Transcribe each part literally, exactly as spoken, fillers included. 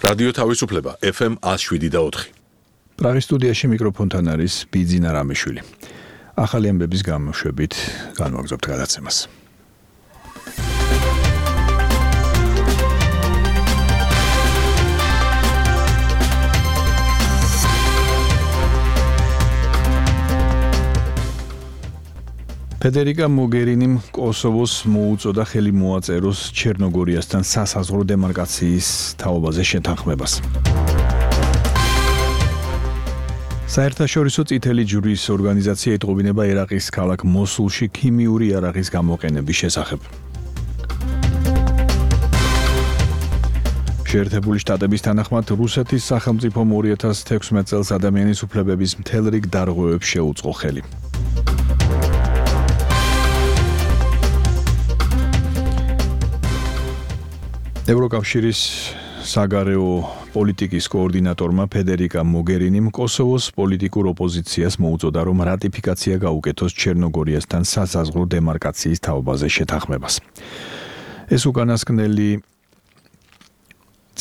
რადიო თავისუფლება ეფ ემ one oh seven და four. პრაღის სტუდიაში მიკროფონთან არის ბიძინა რამიშვილი. ახალი ამბების გამოშვებით განვაგრძობთ გადაცემას. ფედერიკა მოგერინიმ კოსოვოს მოუწოდა ხელი მოაწეროს ჩერნოგორიასთან სასაზღვრო დემარკაციის თაობაზე შეთანხმებას. საერთაშორისო წითელი ჯვრის ორგანიზაცია ეტყობინება ერაყის ქალაქ მოსულში ქიმიური იარაღის გამოყენების შესახებ. შეერთებული შტატების თანახმად რუსეთის სახელმწიფომ two thousand sixteen წელს ადამიანის უფლებების მთელ რიგ დარღვევებს შეუწყო ხელი. ევროკავშირის საგარეო პოლიტიკის კოორდინატორმა ფედერიკა მოგერინიმ კოსოვოს პოლიტიკურ ოპოზიციას მოუწოდა, რომ რატიფიკაცია გაუკეთოს ჩერნოგორიასთან სასაზღვრო დემარკაციის თაობაზე შეთანხმებას. ეს უკანასკნელი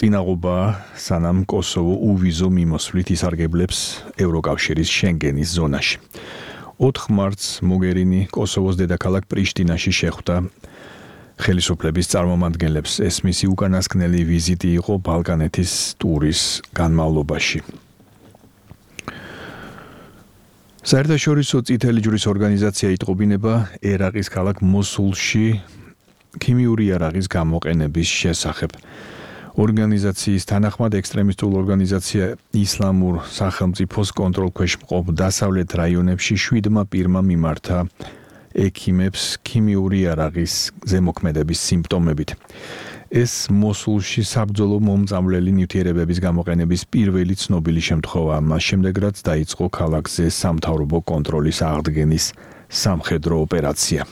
წინაღობა, სანამ კოსოვო უვიზო მიმოსვლით ისარგებლებს ევროკავშირის შენგენის ზონაში. ოთხ მარტს მოგერინი კოსოვოს დედაქალაქ პრიშტინაში შეხვდა ხელისუფლების წარმომადგენლებს. ეს მისი უკანასკნელი ვიზიტი იყო ბალკანეთის ტურის განმავლობაში. საერთაშორისო წითელი ჯვრის ორგანიზაცია იტყობინება ერაყის ქალაქ მოსულში ქიმიური იარაღის გამოყენების შესახებ. ორგანიზაციის თანახმად ექსტრემისტულ ორგანიზაცია ისლამურ სახელმწიფოს კონტროლქვეშ მყოფ დასავლეთ რაიონებში შვიდმა პირმა მიმართა ექიმებს ქიმიური იარაღის ზემოქმედების სიმპტომებით. ეს მოსულში საბრძოლო მომწამლელი ნივთიერებების გამოყენების პირველი ცნობილი შემთხვევაა, მას შემდეგ რაც დაიწყო ქალაქზე სამთავრობო კონტროლის აღდგენის სამხედრო ოპერაცია.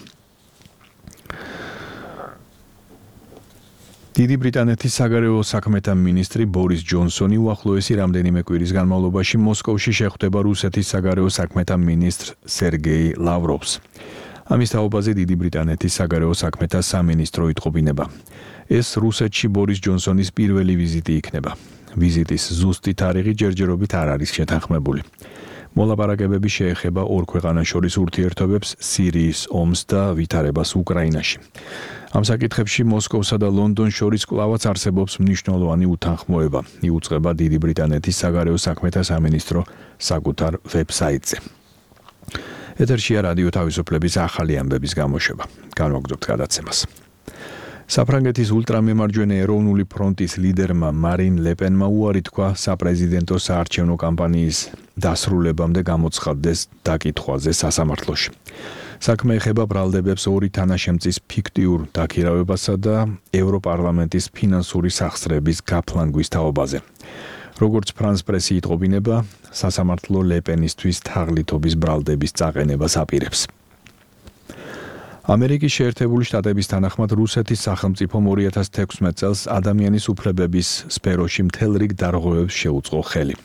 დიდი ბრიტანეთის საგარეო საქმეთა მინისტრი ბორის ჯონსონი უახლოესი რამდენიმე კვირის განმავლობაში მოსკოვში შეხვდება რუსეთის საგარეო საქმეთა მინისტრ სერგეი ლავროვს. ამის თაობაზე დიდი ბრიტანეთის საგარეო საქმეთა სამინისტრო იტყობინება. ეს რუსეთში ბორის ჯონსონის პირველი ვიზიტი იქნება. ვიზიტის ზუსტი თარიღი ჯერჯერობით არ არის შეთანხმებული. მოლაპარაკებები შეეხება ორ ქვეყანას შორის ურთიერთობებს, სირიის ომს და ვითარებას უკრაინაში. ამ საკითხებში მოსკოვსა და ლონდონს შორის კვლავაც არსებობს მნიშვნელოვანი უთანხმოება, იუწყება დიდი ბრიტანეთის საგარეო საქმეთა სამინისტრო საკუთარ ვებსაიტზე. ეთერშია რადიო თავისუფლების ახალი ამბების გამოშვება. განვაგრძობთ გადაცემას. საფრანგეთის ულტრამემარჯვენე ეროვნული ფრონტის ლიდერმა მარინ ლეპენმა უარი თქვა საპრეზიდენტო საარჩევნო კამპანიის დასრულებამდე გამოცხადდეს დაკითხვაზე სასამართლოში. საქმე ეხება ბრალდებებს ორი თანაშემწის ფიქტიურ დაქირავებასა და ევროპარლამენტის ფინანსური სახსრების გაფლანგვის თაობაზე. როგორც ფრანს პრესი იტყობინება, სასამართლო ლეპენისთვის თაღლითობის ბრალდების წაყენებას აპირებს. ამერიკის შეერთებული შტატების თანახმად რუსეთის სახელმწიფომ two thousand sixteen წელს ადამიანის უფლებების სფეროში მთელ რიგ დარღვევებს შეუწყო ხელი,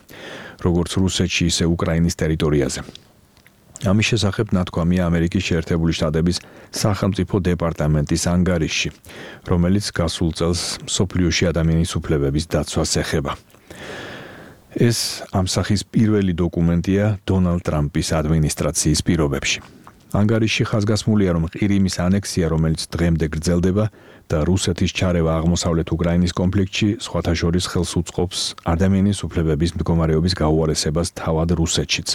როგორც რუსეთში, ისე უკრაინის ტერიტორიაზე. ამის შესახებ ნათქვამია ამერიკის შეერთებული შტატების სახელმწიფო დეპარტამენტის ანგარიშში, რომელიც გასულ წელს მსოფლიოში ადამიანის უფლებების დაცვას ეხება. ეს ამ სახის პირველი დოკუმენტია დონალდ ტრამპის ადმინისტრაციის პირობებში. ანგარიში ხაზგასმულია, რომ ყირიმის ანექსია, რომელიც დღემდე გრძელდება და რუსეთის ჩარევა აღმოსავლეთ უკრაინის კონფლიქტში, სხვათა შორის ხელს უწყობს ადამიანის უფლებების მდგომარეობის გაუარესებას თავად რუსეთშიც.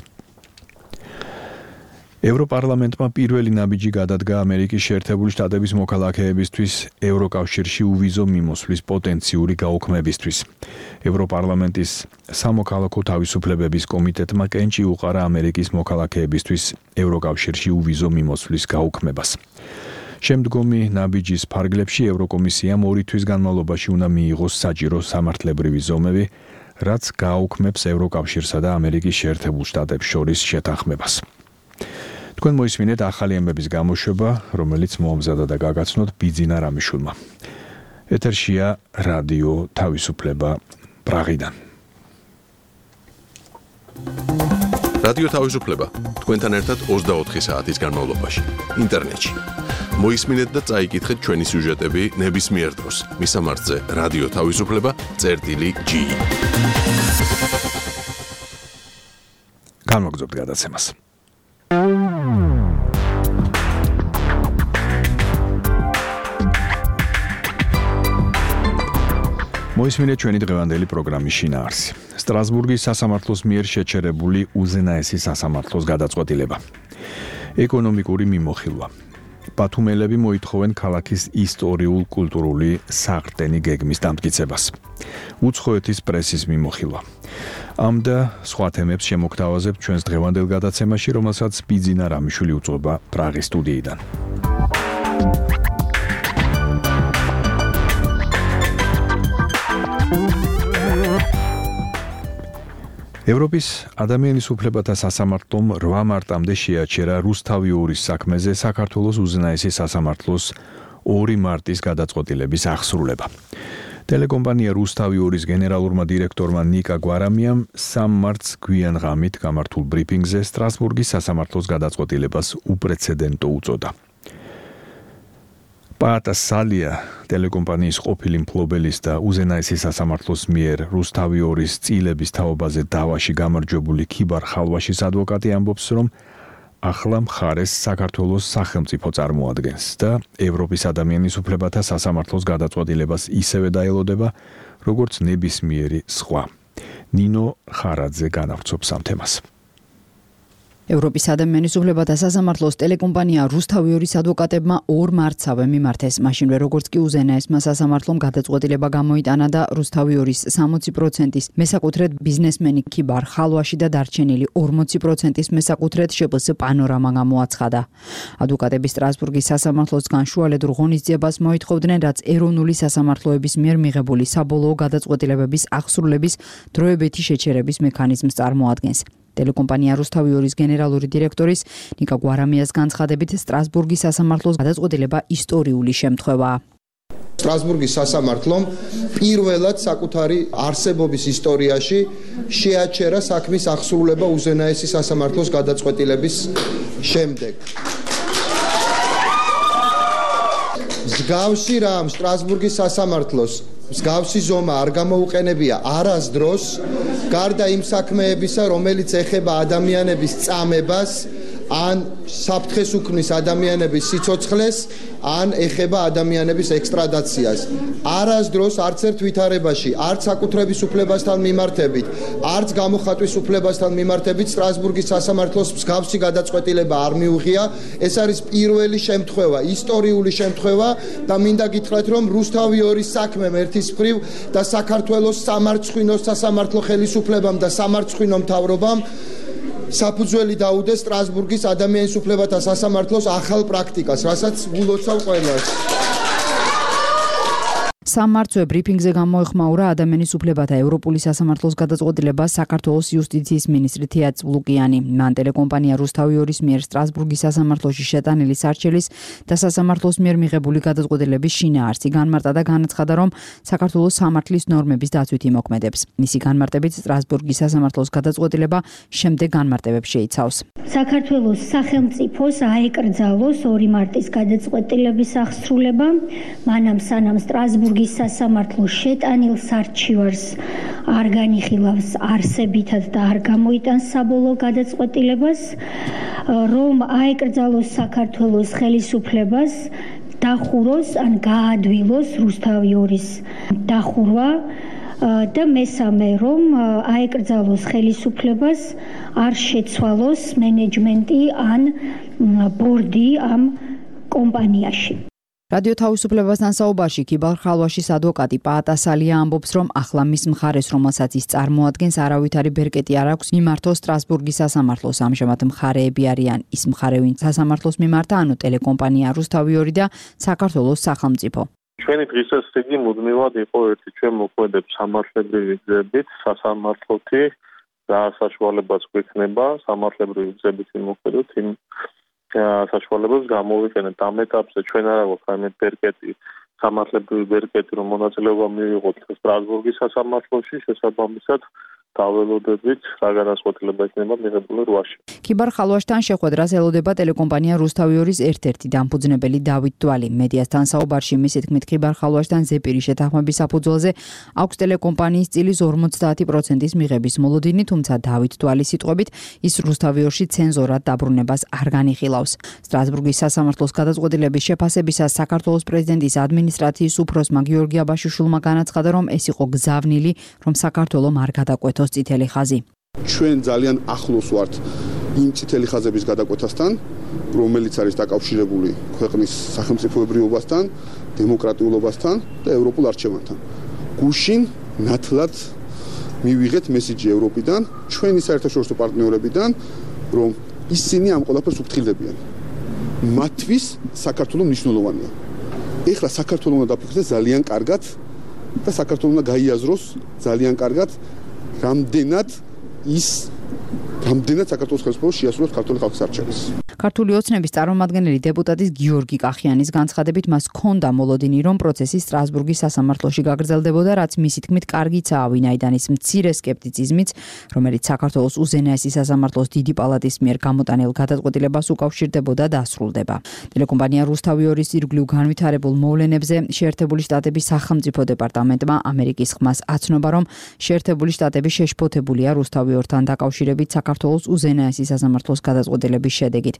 ევროპარლამენტმა პირველი ნაბიჯი გადადგა ამერიკის შეერთებული შტატების მოქალაქეებისთვის ევროკავშირში უვიზო მიმოსვლის პოტენციური გაუქმებისთვის. ევროპარლამენტის სამოქალაქო თავისუფლებების კომიტეტმა კენჭი უყარა ამერიკის მოქალაქეებისთვის ევროკავშირში უვიზო მიმოსვლის გაუქმებას. შემდგომი ნაბიჯის ფარგლებში ევროკომისიამ ორი თვის განმავლობაში უნდა მიიღოს საჭირო სამართლებრივი ზომები, რაც გააუქმებს ევროკავშირსა და ამერიკის შეერთებულ შტატებს შორის შეთანხმებას. თქვენ მოისმინეთ ახალი ამბების გამოშვება, რომელიც მოამზადა და გაგაცნოთ ბიძინა რამიშვილმა. ეთერშია რადიო თავისუფლება პრაღიდან. რადიო თავისუფლება თქვენთან ერთად ოცდაოთხი საათის განმავლობაში ინტერნეტში. მოისმინეთ და წაიკითხეთ ჩვენი სიუჟეტები ნებისმიერ დროს. მისამართზე რადიო თავისუფლება წერტილი ჯი. განმოგზავნოთ გადაცემას. მოისმინეთ ჩვენი დღევანდელი პროგრამის შინაარსი. სტრასბურგის სასამართლოს მიერ შეჩერებული უზენაესი სასამართლოს გადაწყვეტილება. ეკონომიკური მიმოხილვა. ბათუმელები მოითხოვენ ქალაქის ისტორიულ-კულტურული საყრდენი გეგმის დამტკიცებას. უცხოეთის პრესის მიმოხილვა. ამ და სხვა თემებს შემოგთავაზებთ ჩვენს დღევანდელ გადაცემაში, რომელსაც ბიძინა რამიშვილი უძღვება პრაღის სტუდიიდან. ევროპის ადამიანის უფლებათა სასამართლომ რვა მარტამდე შეაჩერა რუსთავიორის საქმეზე საქართველოს უზენაესი სასამართლოს ორი მარტის გადაწყვეტილების აღსრულება. ტელეკომპანია რუსთავიორის გენერალურმა დირექტორმა ნიკა გვარამიამ სამ მარტს გვიან ღამით გამართულ ბრიფინგზე სტრასბურგის სასამართლოს გადაწყვეტილებას უპრეცედენტო უწოდა. პაატა სალია ტელეკომპანიის ყოფილი მფლობელის და უზენაესი სასამართლოს მიერ რუსთავიორის წილების თაობაზე დავაში გამარჯვებული ქიბარ ხალვაშის ადვოკატი ამბობს, რომ ახლა მხარეს საქართველოს სახელმწიფო წარმოადგენს და ევროპის ადამიანის უფლებათა სასამართლოს გადაწყვეტილებას ისევე დაელოდება, როგორც ნებისმიერი სხვა. ნინო ხარაძე განავრცობს ამ თემას. ევროპის ადამიანის უფლებათა სასამართლოს ტელეკომპანია რუსთავიორის ადვოკატებმა ორ მარტსავე მიმართეს, მაშინვე როგორც კი უზენაესმა სასამართლომ გადაწყვეტილება გამოიტანა და რუსთავიორის სამოცი პროცენტის მესაკუთრედ ბიზნესმენი ქიბარ ხალვაში და დარჩენილი ორმოცი პროცენტის მესაკუთრედ შპს პანორამა გამოაცხადა. ადვოკატები სტრასბურგის სასამართლოს განშუალედურ ღონისძიებას მოითხოვდნენ, რაც ეროვნული სასამართლოების მიერ მიღებული საბოლოო გადაწყვეტილებების აღსრულების დროებითი შეჩერების მექანიზმს წარმოადგენს. ტელეკომპანია რუსთავიორის გენერალური დირექტორის ნიკა გვარამიას განცხადებით სტრასბურგის სასამართლოს გადაწყვეტილება ისტორიული შემთხვევაა. სტრასბურგის სასამართლომ პირველად საკუთარი არსებობის ისტორიაში შეაჩერა საქმის აღსრულება უზენაესი სასამართლოს გადაწყვეტილების შემდეგ. მსგავსი რამ სტრასბურგის სასამართლოს მსგავსი ზომა არ გამოუყენებია არასდროს, გარდა იმ საქმეებისა, რომელიც ეხება ადამიანების წამებას, ან საფრთხეს უქმნის ადამიანების სიცოცხლეს, ან ეხება ადამიანების ექსტრადაციას. არასდროს არც ერთ ვითარებაში, არც საკუთრების უფლებასთან მიმართებით, არც გამოხატვის უფლებასთან მიმართებით სტრასბურგის სასამართლოს მსგავსი გადაწყვეტილება არ მიუღია. ეს არის პირველი შემთხვევა, ისტორიული შემთხვევა და მინდა გითხრათ, რომ რუსთავიორის საქმემ ერთის მხრივ და საქართველოს სამარცხვინო სასამართლო ხელისუფლებამ და სამარცხვინო მთავრობამ საფუძველი დაუდეს სტრასბურგის ადამიანის უფლებათა სასამართლოს ახალ პრაქტიკას, რასაც გულოცავ ყველას. სამმარტზე ბრიფინგზე გამოეხმაურა ადამიანის უფლებათა ევროპული სასამართლოს გადაწყვეტილებას საქართველოს იუსტიციის მინისტრი თეა წვლუკიანი. მან ტელეკომპანია რუსთავიორის მიერ სტრასბურგის სასამართლოში შეტანილი სარჩელის და სასამართლოს მიერ მიღებული გადაწყვეტილების შინაარსი განმარტა და განაცხადა, რომ საქართველოს სამართლის ნორმების დაცვით იმოქმედებს. მისი განმარტებით სტრასბურგის სასამართლოს გადაწყვეტილება შემდეგ განმარტებებს შეიცავს. საქართველოს სახელმწიფოს აეკრძალოს ორი მარტის გადაწყვეტილების აღსრულება, მანამ სანამ სტრასბურგის სასამართლოს შეტანილ სარჩივარს არ განიხილავს არსებითად და არ გამოიტანს საბოლოო გადაწყვეტილებას, რომ აეკრძალოს საქართველოს ხელისუფლებას დახუროს ან გაადვილოს რუსთავიორის დახურვა და მესამე, რომ აეკრძალოს ხელისუფლებას არ შეცვალოს მენეჯმენტი ან ბორდი ამ კომპანიაში. რადიო თავისუფლებასთან საუბარში ქიბარ ხალვაშის ადვოკატი პაატა სალია ამბობს, რომ ახლა მის მხარეს, რომელსაც ის წარმოადგენს, არავითარი ბერკეტი არ აქვს მიმართოს სტრასბურგის სასამართლოს. ამჟამად მხარეები არიან ის მხარე, ვინც სასამართლოს მიმართა, ანუ ტელეკომპანია რუსთავიორი და საქართველოს სახელმწიფო. ჩვენი დღესასწაული მუდმივად იყო ერთი, ჩვენ მოქმედებს სამართლებრივი გზებით, სასამართლოთი და საშუალებაც გვექნება სამართლებრივი გზებით იმოქმედოთ იმ საშუალებებს გამოვიყენეთ. ამ ეტაპზე ჩვენ არ აქვს ამეთ ბერკეტი, სამართლებრივი ბერკეტი, რომ მონაწილეობა მივიღოთ სტრასბურგის სასამართლოში, შესაბამისად დაველოდებით რა განსხვავება იქნება მიღებული რვაში. ქიბარ ხალვაშთან შეხვედრას ელოდება ტელეკომპანია რუსთავიორის ერთ-ერთი დამფუძნებელი დავით დვალი. მედიასთან საუბარში მისი თქმით ქიბარ ხალვაშთან ზეპირი შეთანხმების საფუძველზე აქვს ტელეკომპანიის წილის ორმოცდაათი პროცენტის მიღების მოლოდინი, თუმცა დავით დვალის სიტყვებით ის რუსთავიორში ცენზორად დაბრუნებას არ განიხილავს. სტრასბურგის სასამართლოს გადაწყვეტილების შეფასებისას საქართველოს პრეზიდენტის ადმინისტრაციის უფროსმა გიორგი აბაშიშვილმა განაცხადა, რომ ეს იყო გზავნილი, რომ საქართველოს არ გადაკვეთოს წითელი ხაზი. ჩვენ ძალიან ახლოს ვართ იმ წითელი ხაზების გადაკვეთასთან, რომელიც არის დაკავშირებული ქვეყნის სახელმწიფოებრიობასთან, დემოკრატიულობასთან და ევროპულ არჩევანთან. გუშინ ნათლად მივიღეთ მესიჯი ევროპიდან, ჩვენი საერთაშორისო პარტნიორებიდან, რომ ისინი ამ ყველაფერს უფრთხილდებიან. მათთვის საქართველოს მნიშვნელოვანია. ეხლა საქართველოს უნდა დაფიქრდეს ძალიან კარგად და საქართველოს უნდა გაიაზროს ძალიან კარგად, რამდენად ის რამდენად საქართველოს ხელისუფლებას შეასრულებს ქართული ხალხის არჩევანს. ქართული ოცნების წარმომადგენელი დეპუტატის გიორგი კახიანის განცხადებით მას ჰქონდა მოლოდინი, რომ პროცესი სტრასბურგის სასამართლოში გაგრძელდებოდა, რაც მისი თქმით კარგიცაა, ვინაიდან ის მცირე სკეპტიციზმიც, რომელიც საქართველოს უზენაესი სასამართლოს დიდი პალატის მიერ გამოტანილ გადაწყვეტილებას უკავშირდებოდა, დასრულდება. ტელეკომპანია რუსთავიორის ირგვლივ განვითარებულ მოვლენებზე შეერთებული შტატების სახელმწიფო დეპარტამენტმა ამერიკის ხმას აცნობა, რომ შეერთებული შტატები შეშფოთებულია რუსთავიორთან დაკავშირებით საქართველოს უზენაესი სასამართლოს გადაწყვეტილების შედეგით.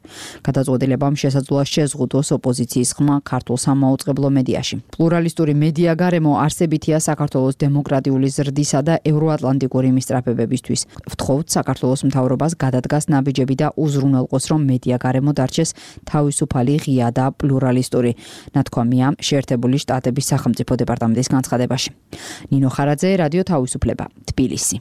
გადაწყვეტილებამ შესაძლოა შეზღუდოს ოპოზიციის ხმა ქართულ სამაუწყებლო მედიაში. პლურალისტური მედია გარემო არსებითია საქართველოს დემოკრატიული ზრდისა და ევროატლანტიკური მისწრაფებებისთვის. ვთხოვთ საქართველოს მთავრობას გადადგას ნაბიჯები და უზრუნველყოს, რომ მედია გარემო დარჩეს თავისუფალი, ღია და პლურალისტური. ნათქვამია შეერთებული შტატების სახელმწიფო დეპარტამენტის განცხადებაში. ნინო ხარაძე, რადიო თავისუფლება, თბილისი.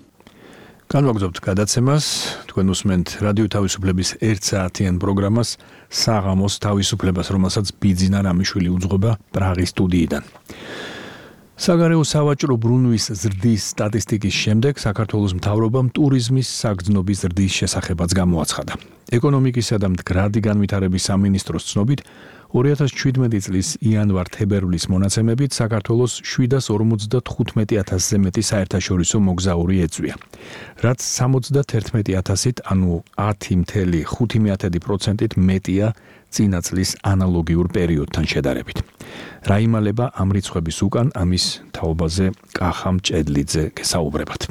განვაგრძობთ გადაცემას, თქვენ უსმენთ რადიო თავისუფლების ერთ საათიან პროგრამას საღამოს თავისუფლებას, რომელსაც ბიძინა რამიშვილი უძღვება პრაღის სტუდიიდან. საგარეო სავაჭრო ბრუნვის ზრდის სტატისტიკის შემდეგ საქართველოს მთავრობამ ტურიზმის საგრძნობის ზრდის შესახებაც გამოაცხადა. ეკონომიკისა და მდგრადი განვითარების სამინისტროს ცნობით ორი ათას შვიდმეტი წლის იანვარ-თებერვლის მონაცემებით საქართველოს შვიდას ორმოცდათხუთმეტი ათასზე მეტი საერთაშორისო მოგზაური ეწვია, რაც სამოცდაათერთმეტი ათასით, ანუ ათი მცდე ხუთი პროცენტით მეტია წინა წლის ანალოგიურ პერიოდთან შედარებით. რა იმალება ამ რიცხვების უკან, ამის თაობაზე კახა მჭედლიძე გესაუბრებათ.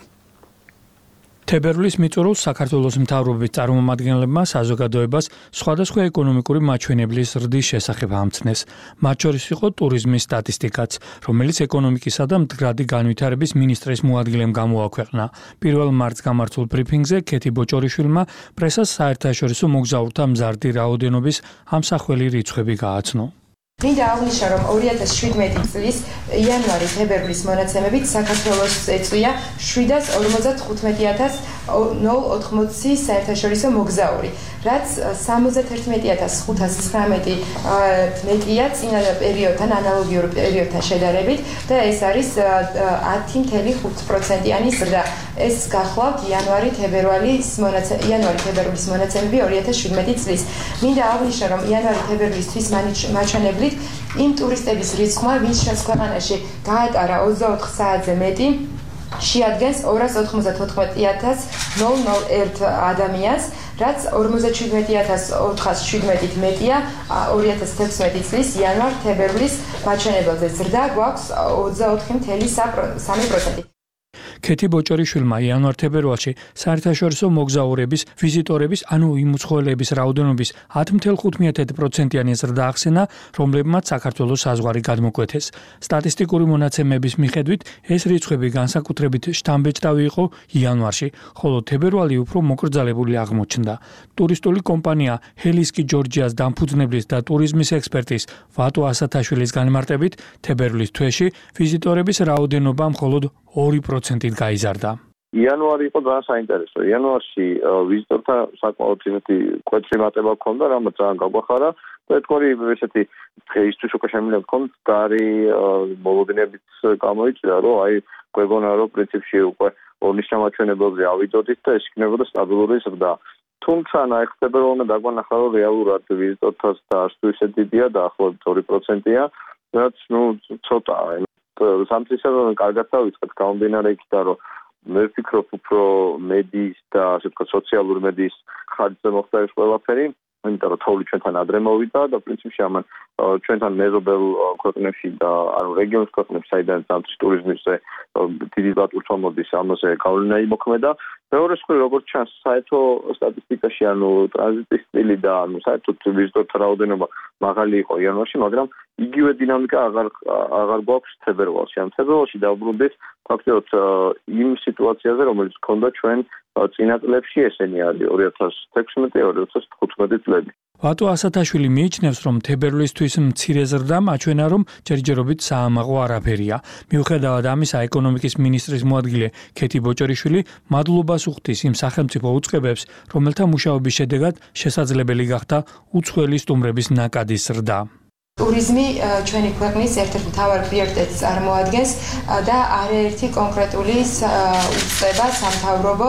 თებერვლის მიწურულს საქართველოს მთავრობის წარმომადგენლებმა საზოგადოებას სხვადასხვა ეკონომიკური მაჩვენებლის ზრდის შესახებ ამცნეს. მათ შორის იყო ტურიზმის სტატისტიკაც, რომელიც ეკონომიკისა და მდგრადი განვითარების მინისტრის მოადგილემ გამოაქვეყნა. პირველ მარტს გამართულ ბრიფინგზე ქეთი ბოჭორიშვილმა პრესას საერთაშორისო მოგზაურთა მზარდი რაოდენობის ამსახველი რიცხვები გააცნო. მინდა აღნიშნო, რომ ორი ათას შვიდმეტი წლის იანვარი-თებერვლის მონაცემებით საქართველოს ეწვია შვიდას ორმოცდათხუთმეტი ათას ნულ ოთხმოცი საერთაშორისო მოგზაური, რაც სამოცდაათერთმეტი ათას ხუთას ცხრამეტი მეტია წინა პერიოდთან, ანალოგიურ პერიოდთან შედარებით და ეს არის ათი მცდე ხუთი პროცენტიანი ზრდა. ეს გახლავთ იანვარი-თებერვლის მონაცემები, იანვარი-თებერვლის მონაცემები ორი ათას შვიდმეტი წლის. მინდა აღნიშნო, რომ იანვარი-თებერვლისთვის მაჩვენებლით იმ ტურისტების რიცხვმა, ვინც ჩვენს ქვეყანაში გაატარა ოცდაოთხ საათზე მეტი, შეადგენს ორას ოთხმოცდათოთხმეტი ათას ნულ ნულ ერთ ადამიანს, რაც ორმოცდაშვიდმეტი ათას ოთხას შვიდმეტით მეტია ორი ათას თექვსმეტი წლის იანვარ-თებერვლის მაჩვენებელზე. ზრდა გვაქვს ოცდაოთხი მცდე სამი პროცენტი. ქეთი ბოჭორიშვილმა იანვარ-თებერვალში საერთაშორისო მოგზაურების, ვიზიტორების, ანუ იმ უცხოელების რაოდენობის ათი მცდე ხუთი პროცენტიანი ზრდა ახსენა, რომლებმაც საქართველოს საზღვარი გადმოკვეთეს. სტატისტიკური მონაცემების მიხედვით ეს რიცხვები განსაკუთრებით შთამბეჭდავი იყო იანვარში, ხოლო თებერვალი უფრო მოკრძალებული აღმოჩნდა. ტურისტული კომპანია ჰელისკი ჯორჯიას დამფუძნებლის და ტურიზმის ექსპერტის ვატო ასათაშვილის განმარტებით, თებერვლის თვეში ვიზიტორების რაოდენობა მხოლოდ ორი პროცენტით გაიზარდა. იანვარი იყო ძალიან საინტერესო. იანვარში ვიზიტორთა საკმაოდ იმეთი კვეთრი მატება ჰქონდა, რამაც ძალიან გაგვახარა და ეთქორი ესეთი დღეისთვის უკვე შემიძლია ვთქვათ, გარი მოლოდინებით გამოიწვია, რომ აი გვეგონა რომ პრინციპში უკვე ორნის ჩამოჩვენებელზე ავიდოდით და ეს იქნებოდა სტაბილური ზრდა. თუმცა ნახდება რომ დაგვანახა რომ რეალურად ვიზიტორთა დაშლა ისე დიდია და ახლობით ორი პროცენტია, რაც ნუ ცოტაა. სამწისეულო კარგად დავიწყეთ გამომდინარე იქიდან რომ მე ვფიქრობ, უფრო მედიის და ასე ვთქვათ სოციალური მედიის ხარჯზე მოხდა ეს ყველაფერი. იმიტომ რომ თოვლი ჩვენთან ადრე მოვიდა და პრინციპში ამან ჩვენთან მეზობელ ქვეყნებში და ანუ რეგიონის ქვეყნებში საიდან ზამთრის ტურიზმზე დიდი ლატვირთვა მოდის ამაზე გავლენა იმოქმედა. მეორე მხრივ როგორც ჩანს საერთო სტატისტიკაში ანუ ტრანზიტის სტილი და ანუ საერთოდ ვიზიტორთა რაოდენობა მაღალი იყო იანვარში, მაგრამ იგივე დინამიკა აღარ აღარ გვაქვს თებერვალში. ამ თებერვალში დავბრუნდით ფაქტობრივად იმ სიტუაციაზე, რომელიც ჰქონდა ჩვენ წინა წლებში, ესენი არის ორი ათას თექვსმეტი ორი ათას თხუთმეტი წლები. ვატო ასათაშვილი მიიჩნევს, რომ თებერვლისთვის მცირე ზრდამ აჩვენა, რომ ჯერჯერობით საამაყო არაფერია. მიუხედავად ამისა, ეკონომიკის მინისტრის მოადგილე ქეთი ბოჭორიშვილი მადლობას უხდის იმ სახელმწიფო უწყებებს, რომელთა მუშაობის შედეგად შესაძლებელი გახდა უცხოელი სტუმრების ნაკადის ზრდა. ტურიზმი ჩვენი ქვეყნის ერთ-ერთ მთავარ პრიორიტეტს წარმოადგენს და არაერთი კონკრეტული უწყება სამთავრობო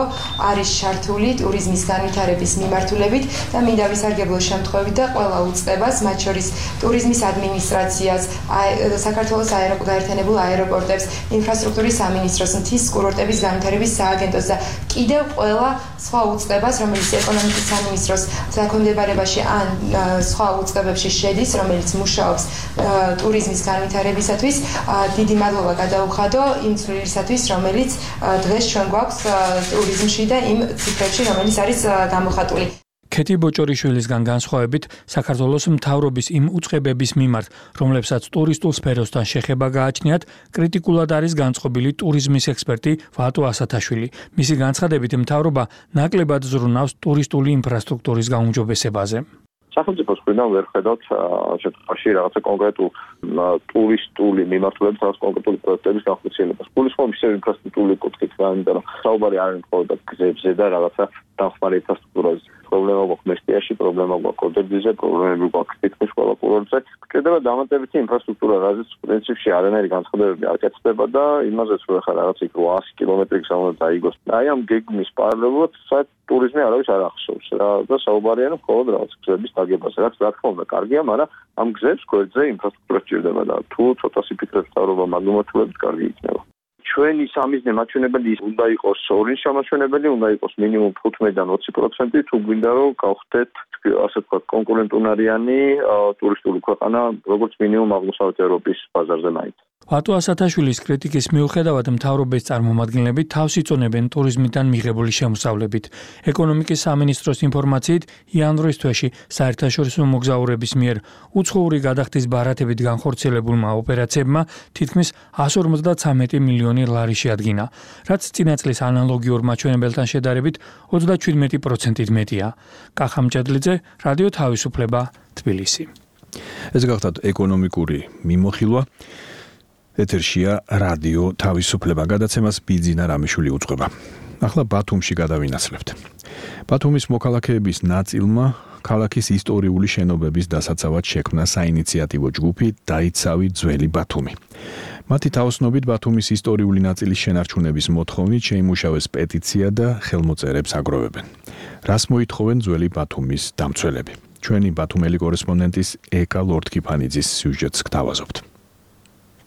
არის ჩართული ტურიზმის განვითარების მიმართულებით და მინდა ვისარგებლო შემთხვევით და ყველა უწყებას, მათ შორის ტურიზმის ადმინისტრაციას, საქართველოს გაერთიანებულ აეროპორტებს, ინფრასტრუქტურის სამინისტროს, მთის კურორტების განვითარების სააგენტოს და კიდევ ყველა სხვა უწყებას, რომელიც ეკონომიკის სამინისტროს დაქვემდებარებაში ან სხვა უწყებებში შედის, რომელიც მუშაობს ტურიზმის განვითარებისათვის, დიდი მადლობა გადაუხადო იმ ცვლილისათვის, რომელიც დღეს ჩვენ გვაქვს ტურიზმში და იმ ციფრებში, რომელიც არის გამოხატული. ქეთი ბოჭორიშვილისგან განსხვავებით, საქართველოს მთავრობის იმ უწყებების მიმართ, რომლებსაც ტურისტულ სფეროსთან შეხება გააჩნიათ, კრიტიკულად არის განწყობილი ტურიზმის ექსპერტი ვატო ასათაშვილი. მისი განცხადებით, მთავრობა ნაკლებად ზრუნავს ტურისტული ინფრასტრუქტურის გაუმჯობესებაზე. სახელმწიფოს მხრიდან ვერ ხედავთ შემთხვევაში რაღაცა კონკრეტულ ტურისტული მიმართულებით რაღაც კონკრეტული პროექტების განხორციელებას. გულისხმობ ისევ ინფრასტრუქტურული კუთხით, იმიტომ რომ საუბარი არ არის მხოლოდ გზებზე და რაღაცა დამხმარე ინფრასტრუქტურაზე. პრობლემა გვაქვს მესტიაში, პრობლემა გვაქვს ოდერბიზე, პრობლემები გვაქვს თითქმის ყველა კურორტზე. გჭირდება დამატებითი ინფრასტრუქტურა, რაზეც პრინციპში არანაირი განცხადებები არ კეთდება და იმაზეც რომ ახლა რაღაც იქ რვაასი კილომეტრი გზა უნდა დაიგოს. აი ამ გეგმის პარალელურად საერთოდ ტურიზმი არავის არ ახსოვს რა და საუბარია რომ მხოლოდ რაღაც გზების დაგებაზე, რაც რა თქმა უნდა კარგია, მაგრამ ამ გზებს გვერდზე ინფრასტრუქტურა სჭირდება და თუ ცოტას იფიქრებს მთავრობა მაგმოთულებით კარგი იქნება. ჩვენი სამიზნე მაჩვენებელი უნდა იყოს ორი შემაჩვენებელი, უნდა იყოს მინიმუმ თხუთმეტიდან ოცი პროცენტი, თუ გვინდა რომ გავხდეთ ასე ვთქვათ კონკურენტუნარიანი ტურისტული ქვეყანა, როგორც მინიმუმ აღმოსავლეთ ევროპის ბაზარზე მაინც. ვატო ასათაშვილის კრიტიკის მიუხედავად მთავრობის წარმომადგენლები თავს იწონებენ ტურიზმიდან მიღებული შემოსავლებით. ეკონომიკის სამინისტროს ინფორმაციით, იანვრის თვეში საერთაშორისო მოგზაურების მიერ უცხოური გადახდის ბარათებით განხორციელებულმა ოპერაციებმა თითქმის εκατს ორმოცდათვრამეტი მილიონი ლარი შეადგინა, რაც წინა წლის ანალოგიურ მაჩვენებელთან შედარებით ოცდაჩვიდმეტი პროცენტით მეტია. კახამ ჭედლიძე, რადიო თავისუფლება, თბილისი. ეს გახლავთ ეკონომიკური მიმოხილვა. ეთერშია რადიო თავისუფლება, გადაცემას ბიძინა რამიშვილი უძღვება. ახლა ბათუმში გადავინაცლებთ. ბათუმის მოქალაქეების ნაწილმა ქალაქის ისტორიული შენობების დასაცავად შექმნა საინიციატივო ჯგუფი დაიცავი ძველი ბათუმი. მათი თაოსნობით ბათუმის ისტორიული ნაწილის შენარჩუნების მოთხოვნით შეიმუშავეს პეტიცია და ხელმოწერებს აგროვებენ. რას მოითხოვენ ძველი ბათუმის დამცველები? ჩვენი ბათუმელი კორესპონდენტის ეკა ლორდკიფანიძის სიუჟეტს გთავაზობთ.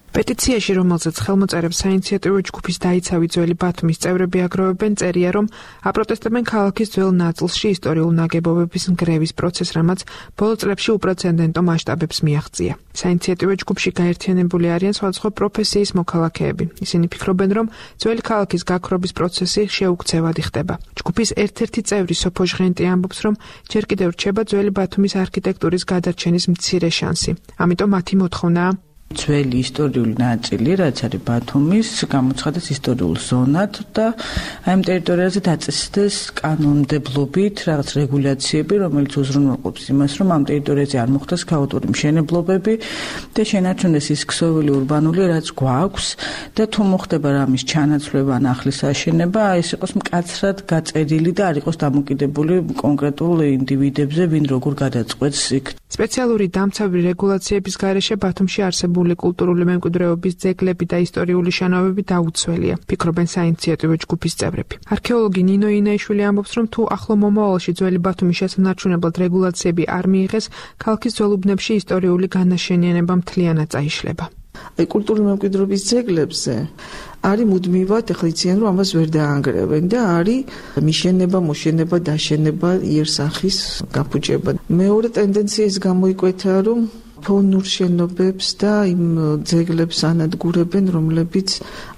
პეტიციაში, რომელზეც ხელმოწერებს საინიციატივო ჯგუფის დაიცავი ძველი ბათუმის წევრები აგროვებენ, წერია, რომ აპროტესტებენ ქალაქის ძველ ნაწილში ისტორიულ ნაგებობების ნგრევის პროცესს, რამაც ბოლო წლებში უპრეცედენტო მასშტაბებს მიაღწია. საინიციატივო ჯგუფში გაერთიანებული არიან სხვადასხვა პროფესიის მოქალაქეები. ისინი ფიქრობენ, რომ ძველი ქალაქის გაქრობის პროცესი შეუქცევად ხდება. ჯგუფის ერთ-ერთი წევრი სოფო ჟღენტი ამბობს, რომ ჯერ კიდევ რჩება ძველი ბათუმის არქიტექტურის გადარჩენის მცირე შანსი. ამიტომ მათი მოთხოვნაა ძველი ისტორიული ნაწილი, რაც არის ბათუმის, გამოცხადეს ისტორიულ ზონად და აი ამ ტერიტორიაზე დაწესდეს კანონმდებლობით რაღაც რეგულაციები, რომელიც უზრუნველყოფს იმას, რომ ამ ტერიტორიაზე არ მოხდეს ქაოტური მშენებლობები და შენარჩუნდეს ის ქსოვილი ურბანული, რაც გვაქვს და თუ მოხდება რამის ჩანაცვლება ან ახლის აშენება, ეს იყოს მკაცრად გაწერილი და არ იყოს დამოკიდებული კონკრეტულ ინდივიდებზე, ვინ როგორ გადაწყვეტს იქ. სპეციალური დამცავი რეგულაციების გარეშე ბათუმში არსებული კულტურული მემკვიდრეობის ძეგლები და ისტორიული შენობები დაუცველია, ფიქრობენ საინიციატივო ჯგუფის წევრები. არქეოლოგი ნინო ინაიშვილი ამბობს, რომ თუ ახლო მომავალში ძველი ბათუმის შესანარჩუნებლად რეგულაციები არ მიიღეს, ქალაქის ძველ უბნებში ისტორიული განაშენიანება მთლიანად წაიშლება. აი კულტურული მემკვიდრეობის ძეგლებზე არის მუდმივად ეხლა იციან რომ ამას ვერ დაანგრევენ და არის მიშენება, მოშენება, დაშენება, იერსახის გაფუჭება. მეორე ტენდენცია ის გამოიკვეთა რომ ფონურ შენობებს და იმ ძეგლებს ანადგურებენ, რომლებიც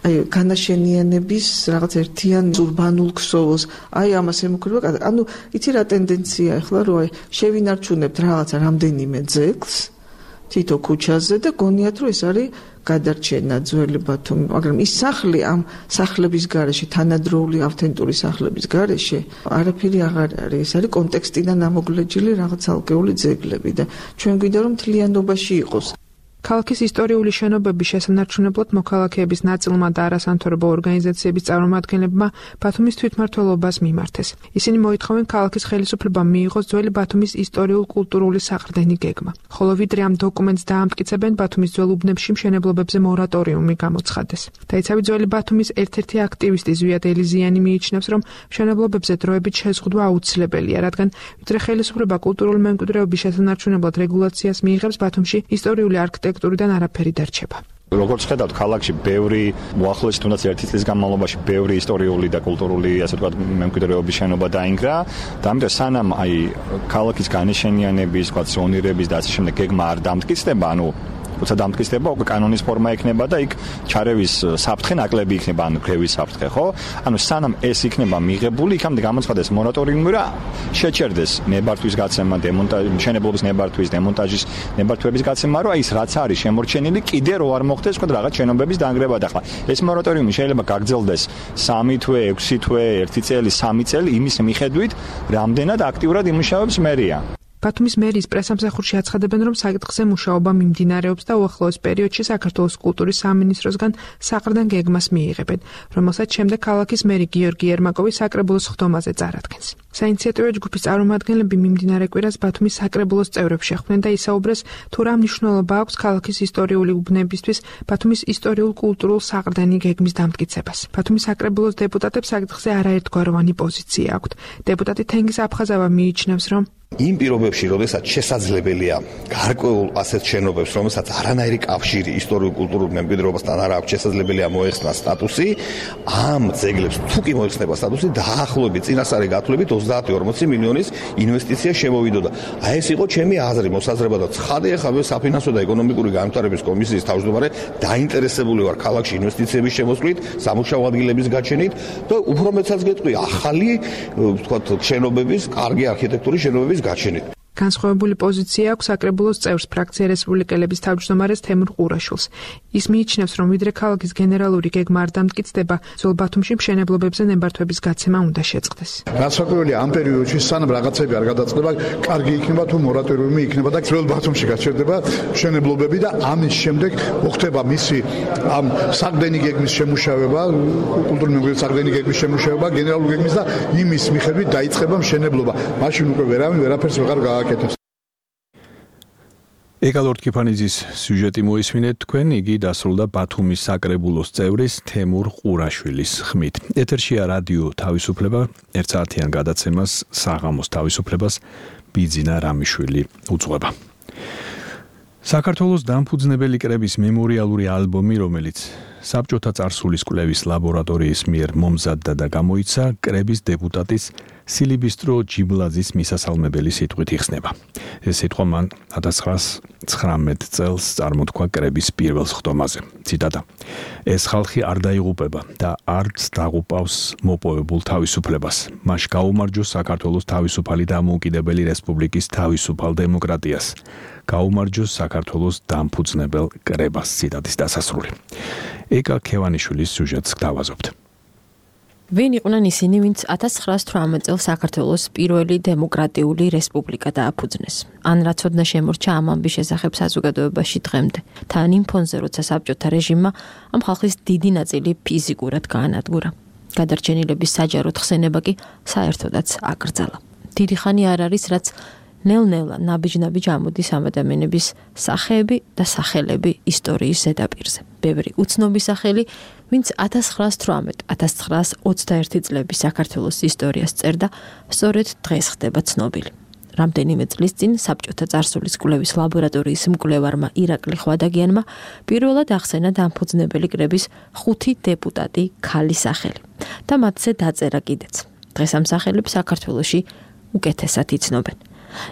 აი განაშენიანების რაღაც ერთიან ურბანულ ქსოვილს, აი ამას ემუქრება. ანუ იცი რა ტენდენცია ახლა რომ აი შევინარჩუნებთ რაღაცა რამდენიმე ძეგლს თითო ქუჩაზე და გონიათ რომ ეს არის გადარჩენა ძველი ბათუმი, მაგრამ ის სახლი ამ სახლების გარეშე, თანადროული ავთენტური სახლების გარეშე არაფერი აღარ არის. ეს არის კონტექსტიდან ამოგლეჯილი რაღაც ალგეული ძეგლები და ჩვენ გვინდა რომ მთლიანობაში იყოს. ქალაქის ისტორიული შენობების შესანარჩუნებლად მოქალაქეების ნაწილმა და არასამთავრობო ორგანიზაციების წარმომადგენლებმა ბათუმის თვითმმართველობას მიმართეს. ისინი მოითხოვენ ქალაქის ხელისუფლებამ მიიღოს ძველი ბათუმის ისტორიულ-კულტურული საყრდენი გეგმა. ხოლო ვიდრე ამ დოკუმენტს დაამტკიცებენ, ბათუმის ძველ უბნებში მშენებლობებზე მორატორიუმი გამოცხადეს. დაიცავი ძველი ბათუმის ერთ-ერთი აქტივისტი ზვიად ელიზიანი მიიჩნევს, რომ მშენებლობებზე დროებით შეზღუდვა აუცილებელია, რადგან ვიდრე ხელისუფლება კულტურული მემკვიდრეობის შესანარჩუნებლად რეგულაციას მიიღებს, ბათუმში ისტორიული არქიტექტურიდან არაფერი დარჩება. როგორც ხედავთ, ქალაქში ბევრი მოახლოეს თუნდაც ერთი წლის განმავლობაში ბევრი ისტორიული და კულტურული, ასე ვთქვათ, მემკვიდრეობის შენობა დაინგრა და ამიტომ სანამ აი ქალაქის განაშენიანების, ვთქვათ, ზონირების და ასე შემდეგ გეგმა არ დამტკიცდება, ანუ როცა დამტკიცდება, უკვე კანონის ფორმა ექნება და იქ ჩარევის საფრთხე ნაკლები იქნება, ანუ გრევის საფრთხე, ხო? ანუ სანამ ეს იქნება მიღებული, იქამდე გამოცხადდეს მორატორიუმი და შეჩერდეს ნებართვის გაცემა, დემონტაჟი, მშენებლობის ნებართვის, დემონტაჟის ნებართვების გაცემა, რომ აი ეს რაც არის შემორჩენილი, კიდე რო არ მოხდეს, თქვა რაღაც შენობების დაანგრევა და ახლა ეს მორატორიუმი შეიძლება გაგრძელდეს სამი თვე, ექვსი თვე, ერთი წელი, სამი წელი იმის მიხედვით, რამდენად აქტიურად იმუშავებს მერია. ბათუმის მერიის პრესამსახურში აცხადებენ, რომ საკითხზე მუშაობა მიმდინარეობს და უახლოეს პერიოდში საქართველოს კულტურის სამინისტროსგან საყრდენ გეგმას მიიღებენ, რომელსაც შემდეგ ქალაქის მერი გიორგი ერმაკოვი საკრებულოს ხდომაზე წარადგენს. საინიციატივო ჯგუფის წარმომადგენლები მიმდინარე კვირას ბათუმის საკრებულოს წევრებს შეხვდნენ და ისაუბრეს, თუ რა მნიშვნელობა აქვს ქალაქის ისტორიული უბნებისთვის ბათუმის ისტორიულ-კულტურულ საყრდენი გეგმის დამტკიცებას. ბათუმის საკრებულოს დეპუტატებს საკითხზე არაერთგვაროვანი პოზიცია აქვთ. დეპუტატი თენგიზ აფხაზავა მიიჩნევს, რომ იმ პირობებში, როდესაც შესაძლებელია გარკვეულ ასეთ შენობებს, რომელსაც არანაირი კავშირი ისტორიულ-კულტურულ მემკვიდრეობასთან არ აქვს, შესაძლებელია მოეხსნას სტატუსი, ამ ძეგლებს თუ კი მოეხსნება სტატუსი, დაახლოებით წინასწარი გათვლებით ოცდაათი ორმოცი მილიონის ინვესტიცია შემოვიდოდა. აი ეს იყო ჩემი აზრი, მოსაზრება და ცხადე ახლა საფინანსო და ეკონომიკური განვითარების კომისიის თავმჯდომარე დაინტერესებული ვარ ქალაქში ინვესტიციების შემოსვლით, სამუშაო ადგილების გაჩენით და უფრო მეცაც გეტყვი ახალი, ვთქვათ, შენობების, კარგი არქიტექტურის შენობების გაჩენით. განსხვავებული პოზიცია აქვს საკრებულოს წევრს ფრაქცია რესპუბლიკელების თავმჯდომარეს თემურ ყურაშვილს. ის მიიჩნევს, რომ ვიდრე ქალაქის გენერალური გეგმა არ დამტკიცდება, ძველ ბათუმში მშენებლობებზე ნებართვების გაცემა უნდა შეწყდეს. განსაკუთრებით ამ პერიოდში სანამ რაღაცები არ გადაწყდება, კარგი იქნება თუ მორატორიუმი იქნება და ძველ ბათუმში გაჩერდება მშენებლობები და ამის შემდეგ მოხდება მისი ამ საყრდენი გეგმის შემუშავება, კულტურული მემკვიდრეობის საყრდენი გეგმის შემუშავება, გენერალური გეგმის და იმის მიხედვით დაიწყება მშენებლობა. მაშინ უკვე ვერავინ ვერაფერს ვეღარ გააკეთებს. ეკალორდ კიფანიძის სიუჟეტი მოისმინეთ თქვენ, იგი დასრულდა ბათუმის საკრებულოს წევრის თემურ ყურაშვილის ხმით. ეთერშია რადიო თავისუფლება, ერთ საათიან გადაცემას საღამოს თავისუფლებას ბიძინა რამიშვილი უძღვება. საქართველოს დამფუძნებელი კრების მემორიალური ალბომი, რომელიც საბჭოთა წარსულის კვლევის ლაბორატორიის მიერ მომზადდა და გამოიცა, კრების დეპუტატის სილიბისტრო ჯიბლაძის მისასალმებელი სიტყვით იხსნება. ეს სიტყვა მან ათას ცხრაას ცხრამეტ წელს წარმოთქვა კრების პირველ ხდომაზე. ციტატა: ეს ხალხი არ დაიღუპება და არც დაღუპავს მოპოვებულ თავისუფლებას. მას გაუმარჯოს საქართველოს თავისუფალი დამოუკიდებელი რესპუბლიკის თავისუფალ დემოკრატიას. გაუმარჯოს საქართველოს დამფუძნებელ კრებას. ციტატის დასასრული. ეკა ქევანიშვილის სიუჟეტს გავაზობთ. ვინ იყვნენ ისინი, ვინც ათას ცხრაას თვრამეტ წელს საქართველოს პირველი დემოკრატიული რესპუბლიკა დააფუძნეს? ან რა ცოდნა შემორჩა ამ ამბის შესახებ საზოგადოებაში დღემდე? თან იმ ფონზე, როცა საბჭოთა რეჟიმმა ამ ხალხის დიდი ნაწილი ფიზიკურად გაანადგურა. გადარჩენილების საჯაროდ ხსენება კი საერთოდაც აკრძალა. დიდი ხანი არ არის, რაც ნელ-ნელა ნაბიჯ-ნაბიჯ ამოდის ამ ადამიანების სახეები და სახელები ისტორიის ზედაპირზე. ბევრი უცნობი სახელი, ვინც ათას ცხრაას თვრამეტ ათას ცხრაას ოცდაერთი წლების საქართველოს ისტორიას წერდა, სწორედ დღეს ხდება ცნობილი. რამდენიმე წლის წინ საბჭოთა წარსულის კვლევის ლაბორატორიის მკვლევარმა ირაკლი ხვადაგიანმა პირველად ახსენა დამფუძნებელი კრების ხუთი დეპუტატი ქალის სახელი და მათზე დაწერა კიდეც. დღეს ამ სახელებს საქართველოში უკეთესად იცნობენ.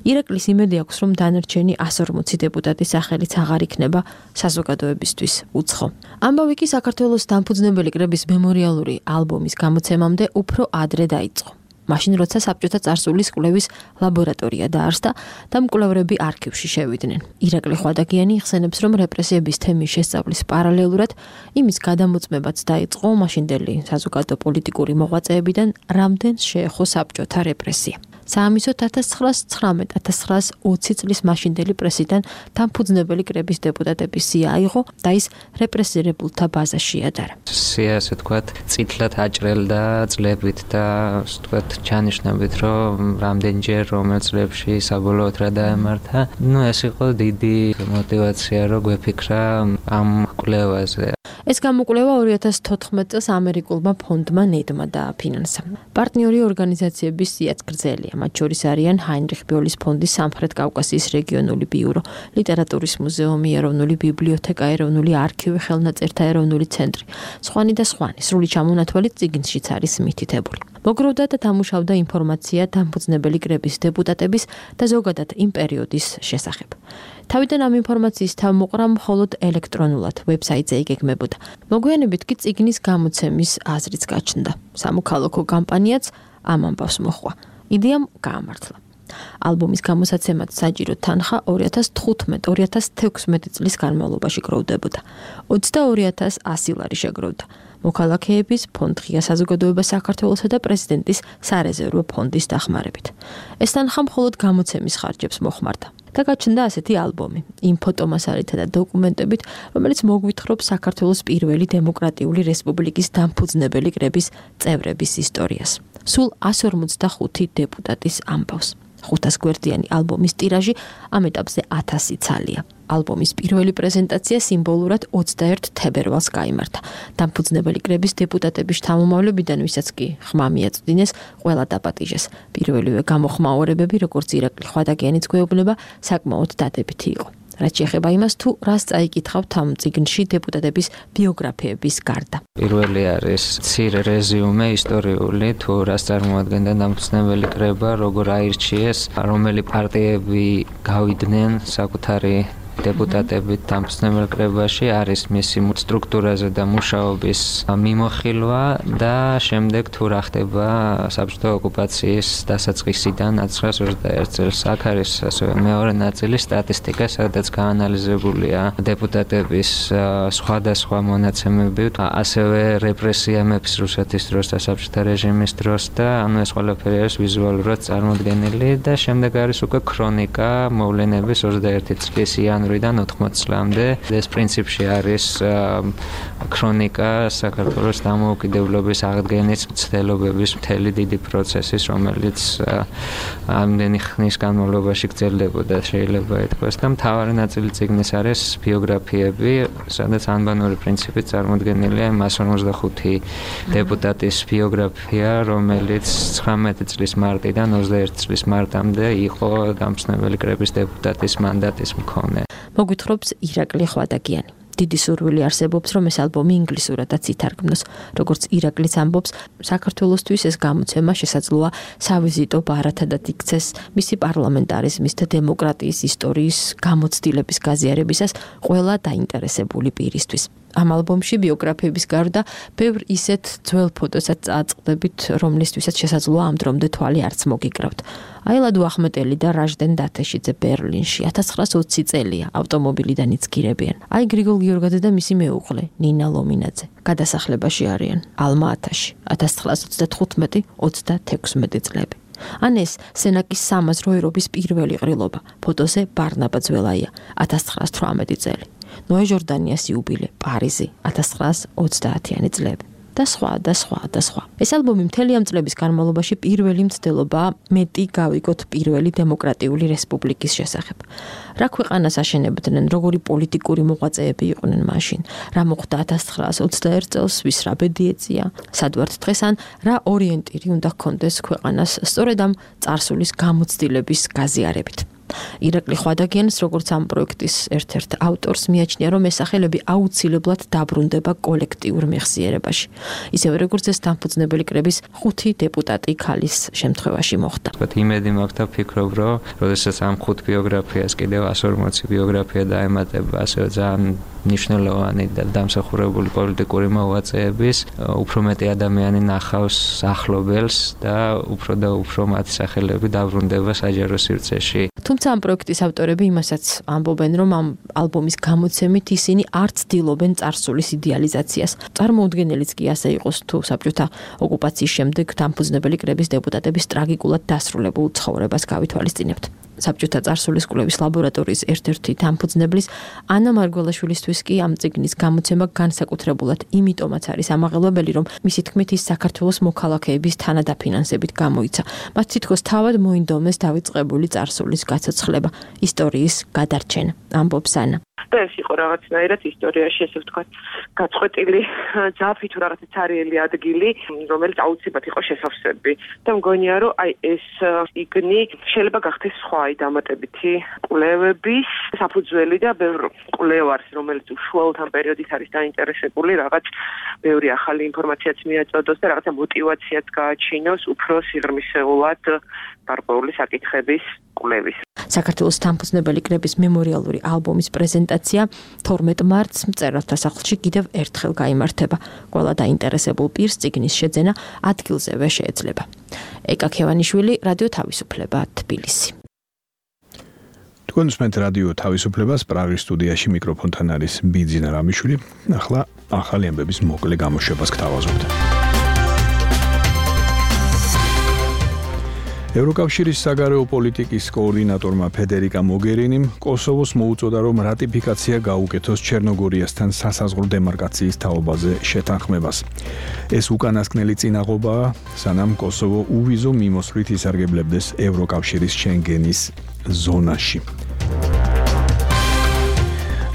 ირაკლის იმედი აქვს, რომ დანარჩენი εκατს ორმოცი დეპუტატის სახელიც აღარ იქნება საზოგადოებისთვის უცხო. ამბავი კი საქართველოს დამფუძნებელი კრების მემორიალური ალბომის გამოცემამდე უფრო ადრე დაიწყო. მაშინ როცა საბჭოთა წარსულის კვლევის ლაბორატორია დაარსდა და მკვლევრები არქივში შევიდნენ. ირაკლი ხვადაგიანი იხსენებს, რომ რეპრესიების თემის შესწავლის პარალელურად იმის გადამოწმებაც დაიწყო მაშინდელი საზოგადო პოლიტიკური მოღვაწეებიდან, რამდენს შეეხო საბჭოთა რეპრესია. საამისოდ ათას ცხრაას ცხრამეტ ათას ცხრაას ოცი წლის მაშინდელი პრესიდან დამფუძნებელი კრების დეპუტატების სია აიღო და ის რეპრესირებულთა ბაზაში ადარა. სია, ასე ვთქვათ, წითლად აჭრელდა წლებით და ასე ვთქვათ, ჩანიშნებით, რომ რამდენჯერ რომელ წლებში საბოლოოდ რა დაემართა. ნუ ეს იყო დიდი мотиваცია, რომ გვეფიქრა ამ კვლევაზე. ეს გამოკვლევა ორი ათას თოთხმეტ წელს ამერიკულმა ფონდმა ნედმა დააფინანსა. პარტნიორი ორგანიზაციების სიაც გრძელია. მათ შორის არიან ჰაინრიხ ბიოლის ფონდის სამხრეთ კავკასიის რეგიონული ბიურო, ლიტერატურის მუზეუმი, ეროვნული ბიბლიოთეკა, ეროვნული არქივი, ხელნაწერთა ეროვნული ცენტრი, სხვანი და სხვანი. სრული ჩამონათვალით წიგნშიც არის მითითებული. მოგროვდა და დამუშავდა ინფორმაცია დამფუძნებელი კრების დეპუტატების და ზოგადად იმ პერიოდის შესახებ. თავიდან ამ ინფორმაციის თავმოყრა მხოლოდ ელექტრონულად ვებსაიტზე იგეგმებოდა. მოგვიანებით კი წიგნის გამოცემის აზრიც გაჩნდა. სამოქალაქო კამპანიაც ამ ამბავს მოჰყვა. იდეამ გაამართლა. ალბომის გამოსაცემად საჭირო თანხა ორი ათას თხუთმეტ ორი ათას თექვსმეტი წლის განმავლობაში გროვდებოდა. ოცდაორი ათას ასი ლარი შეგროვდა. მოქალაქეების ფონდ ღია საზოგადოება საქართველოსა და პრეზიდენტის სარეზერვო ფონდის დახმარებით. ეს თანხა მხოლოდ გამოცემის ხარჯებს მოხმარდა. და გაჩნდა ასეთი ალბომი, იმ ფოტომასალითა და დოკუმენტებით, რომელიც მოგვითხრობს საქართველოს პირველი დემოკრატიული რესპუბლიკის დამფუძნებელი კრების წევრების ისტორიას. სულ εκατს ორმოცდახუთი დეპუტატის ამბავს. ხუთას გვერდიანი ალბომის ტირაჟი ამ ეტაპზე ათასი ცალია. ალბომის პირველი პრეზენტაცია სიმბოლურად ოცდაერთ თებერვალს გაიმართა. დამფუძნებელი კრების დეპუტატების შთამომავლებიდან, ვისაც კი ხმა მიაწვდინეს, ყველა დაპატიჟეს. პირველივე გამოხმაურებები, როგორც ირაკლი ხვადაგიანიც გვეუბნება, საკმაოდ დადებითი იყო. რაც შეეხება იმას, თუ რას წაიკითხავთ ამ წიგნში დეპუტატების ბიოგრაფიების გარდა. პირველი არის მცირე რეზიუმე ისტორიული, თუ რას წარმოადგენდა დამფუძნებელი კრება, როგორ აირჩიეს, რომელი პარტიები გავიდნენ საკუთარი დეპუტატებით დამფუძნებელ კრებაში, არის მისი სტრუქტურაზე და მუშაობის მიმოხილვა და შემდეგ თუ რა ხდება საბჭოთა ოკუპაციის დასაწყისიდან ათას ცხრაას ოცდაერთ წელს. აქ არის ასევე მეორე ნაწილი სტატისტიკა, სადაც გაანალიზებულია დეპუტატების სხვადასხვა მონაცემები, ასევე რეპრესია მეფის რუსეთის დროს და საბჭოთა რეჟიმის დროს და ანუ ეს ყველაფერი არის ვიზუალურად წარმოდგენილი და შემდეგ არის უკვე ქრონიკა მოვლენების ოცდაერთი წლის იანვრიდან ოთხმოცი წლამდე. ეს პრინციპში არის ქრონიკა საქართველოს დამოუკიდებლობის აღდგენის მცდელობების მთელი დიდი პროცესის, რომელიც ამდენი ხნის განმავლობაში გრძელდებოდა, შეიძლება ითქვას და მთავარი ნაწილი წიგნის არის ბიოგრაფიები, სადაც ანბანური პრინციპით წარმოდგენილია εκατს ორმოცდახუთი დეპუტატის ბიოგრაფია, რომელიც ცხრამეტი წლის მარტიდან ოცდაერთი წლის მარტამდე იყო დამფუძნებელი კრების დეპუტატის მანდატის მქონე. მოგვითხრობს ირაკლი ხვადაგიანი. დიდი სურვილი არსებობს, რომ ეს ალბომი ინგლისურადაც ითარგმნოს. როგორც ირაკლიც ამბობს, საქართველოსთვის ეს გამოცემა შესაძლოა სავიზიტო ბარათადაც იქცეს მისი პარლამენტარიზმის და დემოკრატიის ისტორიის გამოცდილების გაზიარებისას ყველა დაინტერესებული პირისთვის. ამ ალბომში ბიოგრაფიების გარდა ბევრ ისეთ ძველ ფოტოსაც წააწყდებით, რომლისთვისაც შესაძლოა ამ დრომდე თვალი არც მოგიკრავთ. აილადო ახმეტელი და რაჟდენ დათეშიძე ბერლინში ათას ცხრაას ოცი წელია, ავტომობილიდან იცგირებიან. აი გრიგოლ გიორგაძე და მისი მეუღლე ნინა ლომინაძე გადასახლებაში არიან ალმა-ათაში ათას ცხრაას ოცდათხუთმეტი ოცდათექვსმეტი წლები. ან ეს სენაკის სამაზრო ერობის პირველი ყრილობა, ფოტოზე ბარნაბა ძველაია ათას ცხრაას თვრამეტი წელი. ნოე ჟორდანიას იუბილე, პარიზი, ათას ცხრაას ოცდაათიანი წლები. და სხვა და სხვა და სხვა. ეს ალბომი მთელი ამ წლების განმავლობაში პირველი მცდელობაა მეტი გავიგოთ პირველი დემოკრატიული რესპუბლიკის შესახებ. რა ქვეყანას აშენებდნენ, როგორი პოლიტიკური მოღვაწეები იყვნენ მაშინ, რა მოხდა ათას ცხრაას ოცდაერთ წელს, ვის რა ბედი ეწია, სად ვართ დღეს ან რა ორიენტირი უნდა ჰქონდეს ქვეყანას სწორედ ამ წარსულის გამოცდილების გაზიარებით. ირაკლი ხვადაგიანს როგორც ამ პროექტის ერთ-ერთ ავტორს მიაჩნია, რომ ეს სახელები აუცილებლად დაბრუნდება კოლექტიურ მეხსიერებაში. ისევე როგორც ეს დამფუძნებელი კრების ხუთი დეპუტატი ქალის შემთხვევაში მოხდა. ვთქვათ, იმედი მაქვს და ფიქრობ, რომ როდესაც ამ ხუთ ბიოგრაფიას კიდევ εκατს ორმოცი ბიოგრაფია დაემატება, ასევე ძალიან მნიშვნელოვანი და დამსახურებული პოლიტიკური მოღვაწეების, უფრო მეტი ადამიანი ნახავს ახლობელს და უფრო და უფრო მათი სახელები დაბრუნდება საჯარო სივრცეში. თუმცა ამ პროექტის ავტორები იმასაც ამბობენ, რომ ამ ალბომის გამოცემით ისინი არ ცდილობენ წარსულის იდეალიზაციას. წარმოუდგენელიც კი ასე იყოს, თუ საბჭოთა ოკუპაციის შემდეგ დამფუძნებელი კრების დეპუტატების ტრაგიკულად დასრულებულ ცხოვრებას გავითვალისწინებთ. საბჭოთა წარსულის კვლევის ლაბორატორიის ერთ-ერთი დამფუძნებლის ანა მარგველაშვილისთვის კი ამ წიგნის გამოცემა განსაკუთრებულად იმიტომაც არის ამაღელვებელი, რომ მისი თქმით ის საქართველოს მოქალაქეების თანადაფინანსებით გამოიცა. მათ თითქოს თავად მოინდომეს დავიწყებული წარსულის გაცოცხლება, ისტორიის გადარჩენა, ამბობს ანა. და ეს იყო რაღაცნაირად ისტორიაში, ესე ვთქვათ, გაწყვეტილი ძაფი თუ რაღაცა ცარიელი ადგილი, რომელიც აუცილებლად იყო შესავსები. და მგონია, რომ აი ეს იგნი შეიძლება გახდეს სხვა აი დამატებითი კვლევების საფუძველი და ბევრ კვლევარს, რომელიც უშუალოდ ამ პერიოდით არის დაინტერესებული, რაღაც ბევრი ახალი ინფორმაციაც მიაწოდოს და რაღაცა მოტივაციაც გააჩინოს უფრო სიღრმისეულად გარკვეული საკითხების კვლევის. საქართველოს დამფუძნებელი კრების მემორიალური ალბომის პრეზენტაცია თორმეტ მარტს მწერალთა სახლში კიდევ ერთხელ გაიმართება. ყველა დაინტერესებულ პირს წიგნის შეძენა ადგილზევე შეეძლება. ეკა ქევანიშვილი, რადიო თავისუფლება, თბილისი. თქვენ უსმენთ რადიო თავისუფლებას, პრაღის სტუდიაში მიკროფონთან არის ბიძინა რამიშვილი. ახლა ახალი ამბების მოკლე გამოშვებას გთავაზობთ. ევროკავშირის საგარეო პოლიტიკის კოორდინატორმა ფედერიკა მოგერინიმ კოსოვოს მოუწოდა, რომ რატიფიკაცია გაუკეთოს ჩერნოგორიასთან სასაზღვრო დემარკაციის თაობაზე შეთანხმებას. ეს უკანასკნელი წინაღობაა, სანამ კოსოვო უვიზო მიმოსვლით ისარგებლებდეს ევროკავშირის შენგენის ზონაში.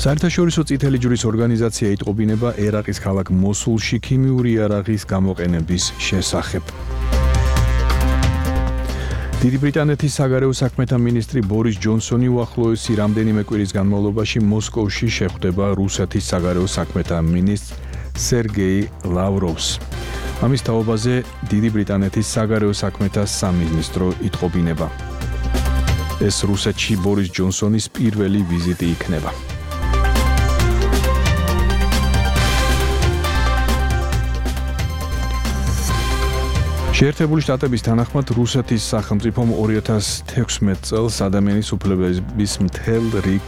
საერთაშორისო წითელი ჯვრის ორგანიზაცია იტყობინება ერაყის ქალაქ მოსულში ქიმიური იარაღის გამოყენების შესახებ. დიდი ბრიტანეთის საგარეო საქმეთა მინისტრი ბორის ჯონსონი უახლოესი რამდენიმე კვირის განმავლობაში მოსკოვში შეხვდება რუსეთის საგარეო საქმეთა მინისტრ სერგეი ლავროვს. ამის თაობაზე დიდი ბრიტანეთის საგარეო საქმეთა სამინისტრო იტყობინება. ეს რუსეთში ბორის ჯონსონის პირველი ვიზიტი იქნება. შეერთებული შტატების თანახმად რუსეთის სახელმწიფომ ორი ათას თექვსმეტ წელს ადამიანის უფლებების მთელ რიგ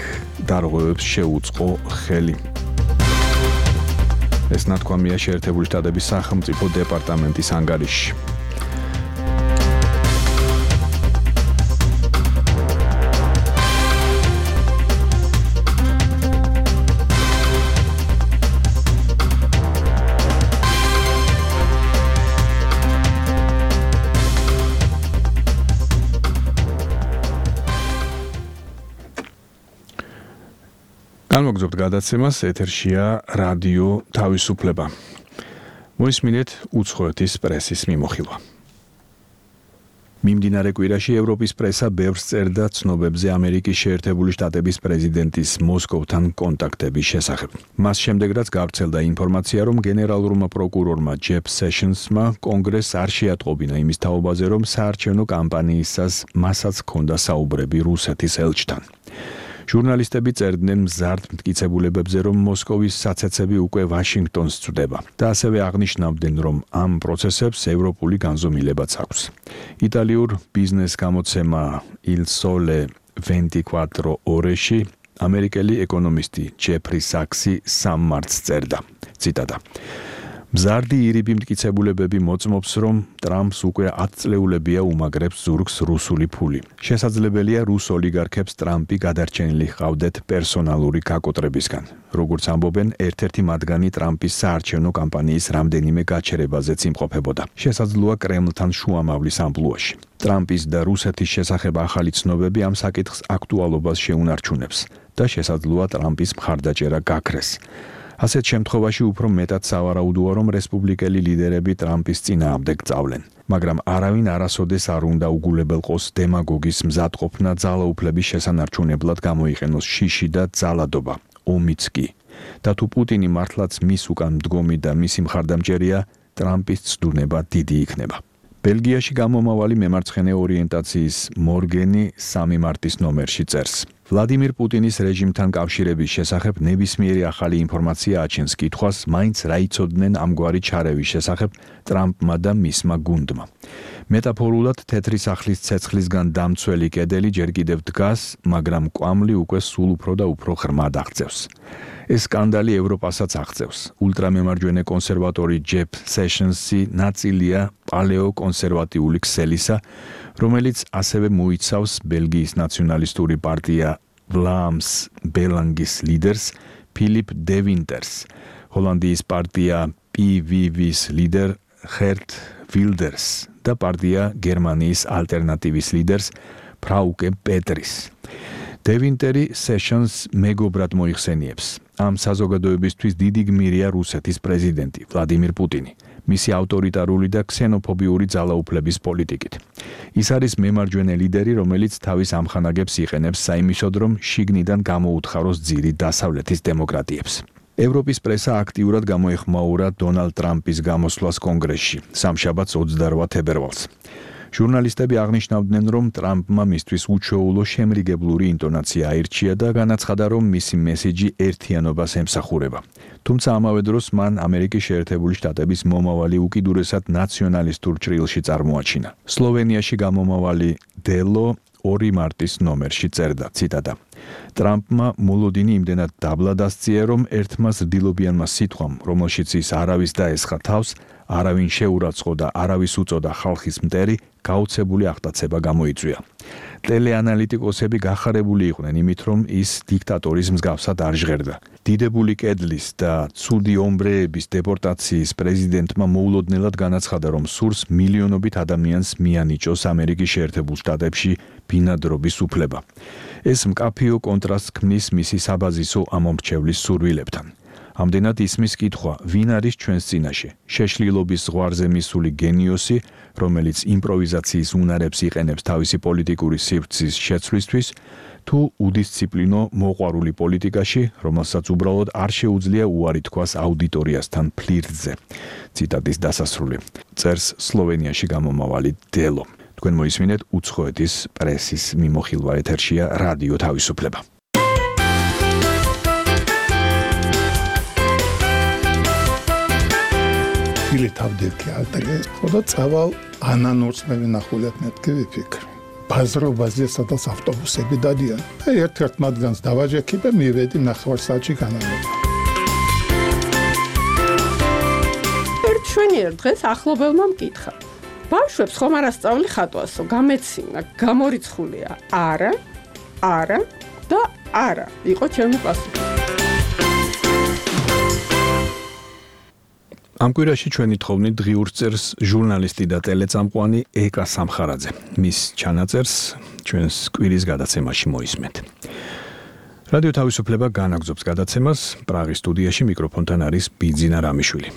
დარღვევებს შეუწყო ხელი. ეს ნათქვამია შეერთებული შტატების სახელმწიფო დეპარტამენტის ანგარიშში. განმოგზობთ გადაცემას, ეთერშია რადიო თავისუფლება. მოისმინეთ უცხოეთის პრესის მიმოხილვა. მიმდინარე კვირაში ევროპის პრესა ბევრს წერდა ცნობებზე ამერიკის შეერთებული შტატების პრეზიდენტის მოსკოვთან კონტაქტების შესახებ. მას შემდეგ რაც გავრცელდა ინფორმაცია, რომ გენერალურმა პროკურორმა ჯეფ სეშენსმა კონგრესს არ შეატყობინა იმის თაობაზე, რომ საარჩევნო კამპანიისას მასაც ჰქონდა საუბრები რუსეთის ელჩთან. ჟურნალისტები წერდნენ მზარდ მტკიცებულებებზე, რომ მოსკოვის საცეცები უკვე ვაშინგტონს წვდება და ასევე აღნიშნავდნენ, რომ ამ პროცესებს ევროპული განზომილებაც აქვს. იტალიურ ბიზნეს გამოცემა Il Sole ventiquattro Oreში ამერიკელი ეკონომისტი ჯეფრი საქსი სამ მარტს წერდა. ციტატა: მზარდი ირიბი მტკიცებულებები მოწმობს, რომ ტრამპს უკვე ათი წლეულებია უმაგრებს ზურგს რუსული ფული. შესაძლებელია რუს ოლიგარქებს ტრამპი გადარჩენილი ჰყავდეთ პერსონალური გაკოტრებისგან. როგორც ამბობენ, ერთ-ერთი მათგანი ტრამპის საარჩევნო კამპანიის რამდენიმე გაჩერებაზეც იმყოფებოდა. შესაძლოა კრემლთან შუამავლის ამპლუაში. ტრამპის და რუსეთის შესახებ ახალი ცნობები ამ საკითხს აქტუალობას შეუნარჩუნებს და შესაძლოა ტრამპის მხარდაჭერა გაქრეს. ასეთ შემთხვევაში უფრო მეტად სავარაუდოა, რომ რესპუბლიკელი ლიდერები ტრამპის წინააღმდეგ წავლენ. მაგრამ არავინ არასოდეს არ უნდა უგულებელყოს დემაგოგის მზადყოფნა ძალაუფლების შესანარჩუნებლად გამოიყენოს შიში და ძალადობა, ომიც კი. და თუ პუტინი მართლაც მის უკან მდგომი და მისი მხარდამჭერია, ტრამპის ცდუნება დიდი იქნება. ბელგიაში გამომავალი მემარცხენე ორიენტაციის მორგენი სამი მარტის ნომერში წერს. ვლადიმირ პუტინის რეჟიმთან კავშირების შესახებ ნებისმიერი ახალი ინფორმაცია აჩენს კითხვას, მაინც რა იცოდნენ ამგვარი ჩარევის შესახებ ტრამპმა და მისმა გუნდმა. მეტაფორულად თეთრი სახლის ცეცხლისგან დამცველი კედელი ჯერ კიდევ დგას, მაგრამ კვამლი უკვე სულ უფრო და უფრო ღრმად აღწევს. ეს სკანდალი ევროპასაც აღწევს. ულტრამემარჯვენე კონსერვატორი ჯეფ სეშენსი ნაწილია პალეო-კონსერვატიული ქსელისა, რომელიც ასევე მოიცავს ბელგიის ნაციონალისტური პარტია ვლამს ბელანგის ლიდერს ფილიპ დე ვინტერს, ჰოლანდიის პარტია პი ვი ვის ლიდერ ხერტ ვილდერს და პარტია გერმანიის ალტერნატივის ლიდერს ფრაუკე პეტრის. დე ვინტერი სეშენს მეგობრად მოიხსენიებს. ამ საზოგადოებისთვის დიდი გმირია რუსეთის პრეზიდენტი ვლადიმირ პუტინი. მისი ავტორიტარული და ქსენოფობიური ძალაუფლების პოლიტიკით. ის არის მემარჯვენე ლიდერი, რომელიც თავის ამხანაგებს იყენებს საიმისოდ, რომ შიგნიდან გამოუთხაროს ძირი დასავლეთის დემოკრატიებს. ევროპის პრესა აქტიურად გამოეხმაურა დონალდ ტრამპის გამოსვლას კონგრესში, სამშაბათს ოცდაოთხ თებერვალს. ჟურნალისტები აღნიშნავდნენ, რომ ტრამპმა მისთვის უჩვეულო შემრიგებლური ინტონაცია აირჩია და განაცხადა, რომ მისი მესიჯი ერთიანობას ემსახურება. თუმცა ამავე დროს მან ამერიკის შეერთებული შტატების მომავალი უკიდურესად ნაციონალისტურ ჭრილში წარმოაჩინა. სლოვენიაში გამომავალი დელო ორი მარტის ნომერში წერდა, ციტატა: ტრამპმა მოლოდინი იმდენად დაბლა დასწია, რომ ერთმა ზრდილობიანმა სიტყვამ, რომელშიც ის არავის დაესხა თავს, არავინ შეურაცხო და არავის უწოდა ხალხის მტერი, გაუცებული აღტაცება გამოიწვია. ტელეანალიტიკოსები გახარებული იყვნენ იმით, რომ ის დიქტატორის მსგავსად არ ჟღერდა. დიდებული კედლის და ცუდი ომბრეების დეპორტაციის პრეზიდენტმა მოულოდნელად განაცხადა, რომ სურს მილიონობით ადამიანს მიანიჭოს ამერიკის შეერთებულ შტატებში ბინადრობის უფლება. ეს მკაფიო კონტრასტს ქმნის მისი საბაზისო ამომრჩევლის სურვილებთან. ამდენად ისმის კითხვა, ვინ არის ჩვენს წინაშე? შეშლილობის ზღვარზე მისული გენიოსი, რომელიც იმპროვიზაციის უნარებს იყენებს თავისი პოლიტიკური სივრცის შეცვლისთვის, თუ უდისციპლინო მოყვარული პოლიტიკაში, რომელსაც უბრალოდ არ შეუძლია უარი თქვას აუდიტორიასთან ფლირტზე. ციტატის დასასრული. წერს სლოვენიაში გამომავალი დელო. თქვენ მოისმინეთ უცხოეთის პრესის მიმოხილვა, ეთერშია რადიო თავისუფლება. Ili თავდექი ალტრე, ხოდა წავალ ანანურს მე ვინახულეთ მეთქი ვიფიქრე. ბაზრობაზე სადაც ავტობუსები დადიან. და ერთ-ერთ მათგანს დავაჯექი და მივედი ნახევარსაათში განამება. ერთ შვენიერ დღეს ახლობელმა მკითხა. ბავშვებს ხომ არ ასწავლი ხატვასო, გამეცინა, გამორიცხულია. არა, არა და არა. იყო ჩემი პასუხი. ამ კვირაში ჩვენი თხოვნით დღიურს წერს ჟურნალისტი და ტელეწამყვანი ეკა სამხარაძე. მის ჩანაწერს ჩვენს კვირის გადაცემაში მოისმენთ. რადიო თავისუფლება განაგზობს გადაცემას, პრაღის სტუდიაში მიკროფონთან არის ბიძინა რამიშვილი.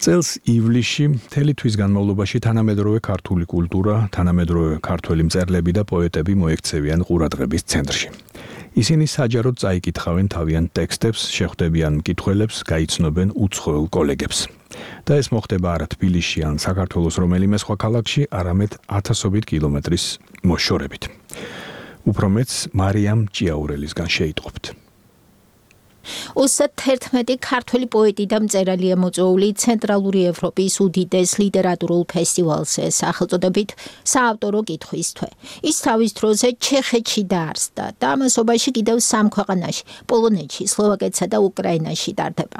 წელს ივლისში მთელი თვის განმავლობაში თანამედროვე ქართული კულტურა, თანამედროვე ქართველი მწერლები და პოეტები მოექცევიან ყურადღების ცენტრში. ისინი საჯაროდ წაიკითხავენ თავიანთ ტექსტებს, შეხვდებიან მკითხველებს, გაიცნობენ უცხოელ კოლეგებს. და ეს მოხდება არა თბილისში ან საქართველოს რომელიმე სხვა ქალაქში, არამედ ათასობით კილომეტრის მოშორებით. უფრო მეც მარიამ ჭიაურელისგან შეიტყობთ. ოცდაერთმეტი ქართველი პოეტი და მწერალია მოწვეული ცენტრალური ევროპის უდიდეს ლიტერატურულ ფესტივალზე სახელწოდებით საავტორო კითხვის თვე. ის თავის დროზე ჩეხეთში დაარსდა და ამასობაში კიდევ სამ ქვეყანაში, პოლონეთში, სლოვაკეთსა და უკრაინაში ტარდება.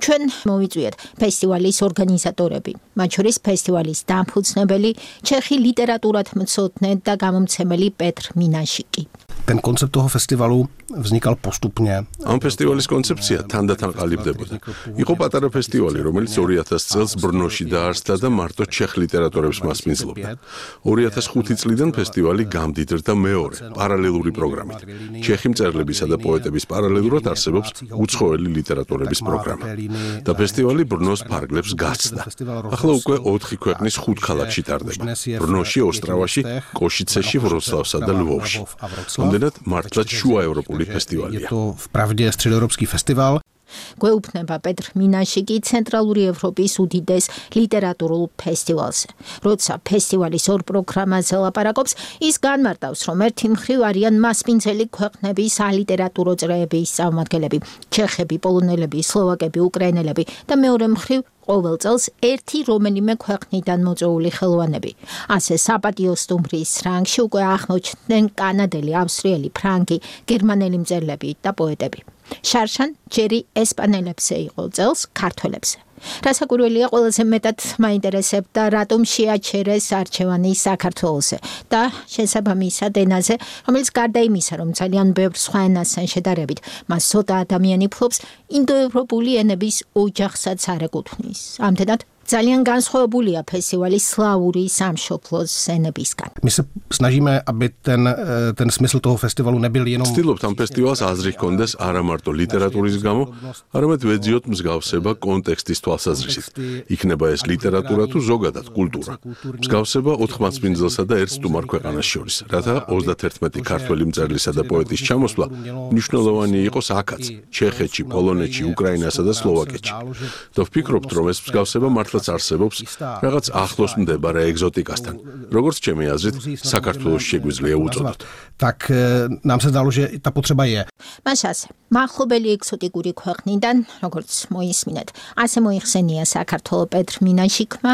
ჩვენ მოვიწვიეთ ფესტივალის ორგანიზატორები, მათ შორის ფესტივალის დამფუძნებელი ჩეხი ლიტერატურათმცოდნე და გამომცემელი პეტრ მინაშიკი. Ten koncept toho festivalu vznikal postupně. Am festivalis koncepcia თანდათან ყალიბდებოდა. იყო პატარა ფესტივალი, რომელიც ორი ათასი წელს ბრნოში დაარსდა და მარტო ჩეხ ლიტერატორებს მასპინძლობდა. ორი ათას ხუთი წლიდან ფესტივალი გამდიდრდა მეორე, პარალელური პროგრამით. ჩეხი მწერლებისა და პოეტების პარალელურად არსებობს უცხოელი ლიტერატურების პროგრამა. და ფესტივალი ბრნოს ფარგლებს გაცდა. ახლა უკვე ოთხი ქვეყნის ხუთ ქალაქში ტარდება. ბრნოში, ოსტრავაში, კოშიცეში, ვროცლავსა და ლვოვში. Ამდენად მართლაც შუაევროპული ფესტივალია. Vpravdě středoevropský festival. გვეუბნება პეტრ მინაშიკი ცენტრალური ევროპის უდიდეს ლიტერატურულ ფესტივალზე. როცა ფესტივალის ორ პროგრამაზე ლაპარაკობს, ის განმარტავს, რომ ერთი მხრივ არიან მასპინძელი ქვეყნების სალიტერატურო წრეების წარმომადგენლები, ჩეხები, პოლონელები, სლოვაკები, უკრაინელები და მეორე მხრივ ყოველ წელს ერთი რომელიმე ქვეყნიდან მოწვეული ხელოვანები. ასე საპატიო სტუმრის რანგში უკვე აღმოჩნდნენ კანადელი, ავსტრიელი, ფრანგი, გერმანელი მწერლები და პოეტები. შარშან ჯერი ესპანელებზე იყო წელს ქართველებზე. რასაკვირველია, ყველაზე მეტად მაინტერესებდა რატომ შეაჩერეს არჩევანი საქართველოზე და შესაბამისად ენაზე, რომელიც გარდა იმისა, რომ ძალიან ბევრ სხვა ენასთან შედარებით, მას ცოტა ადამიანი ფლობს, ინდოევროპული ენების ოჯახსაც არ ეკუთვნის. ამდენად ძალიან განსხვავებულია ფესტივალი სლავური სამშობლოს ენებისგან. My se snažíme, aby ten, ten smysl toho festivalu nebyl jenom... Ვცდილობთ ამ ფესტივალს აზრი ჰქონდეს არა მარტო ლიტერატურის გამო, არამედ ვეძიოთ მსგავსება კონტექსტის თვალსაზრისით. იქნება ეს ლიტერატურა თუ ზოგადად კულტურა. მსგავსება ოთხ მასპინძელსა და ერთ სტუმარ ქვეყანას შორის, რათა ოცდაათერთმეტი ქართველი მწერლისა და პოეტის ჩამოსვლა მნიშვნელოვანი იყოს აქაც, ჩეხეთში, პოლონეთში, უკრაინასა და სლოვაკეთში. და ვფიქრობთ, რომ ეს მსგავსება მართლაც არსებობს რაღაც ახლოს მდებარე ეგზოტიკასთან. Როგორც ჩემი აზრით, საქართველოს შეგვიძლია უწოდოთ. Tak nám se zdalo, že ta potřeba je. მას ასე, მახლობელი ეგზოტიკური ქვეყნიდან, როგორც მოისმინეთ, ასე მოიხსენია საქართველოს პეტრ მინაშიკმა,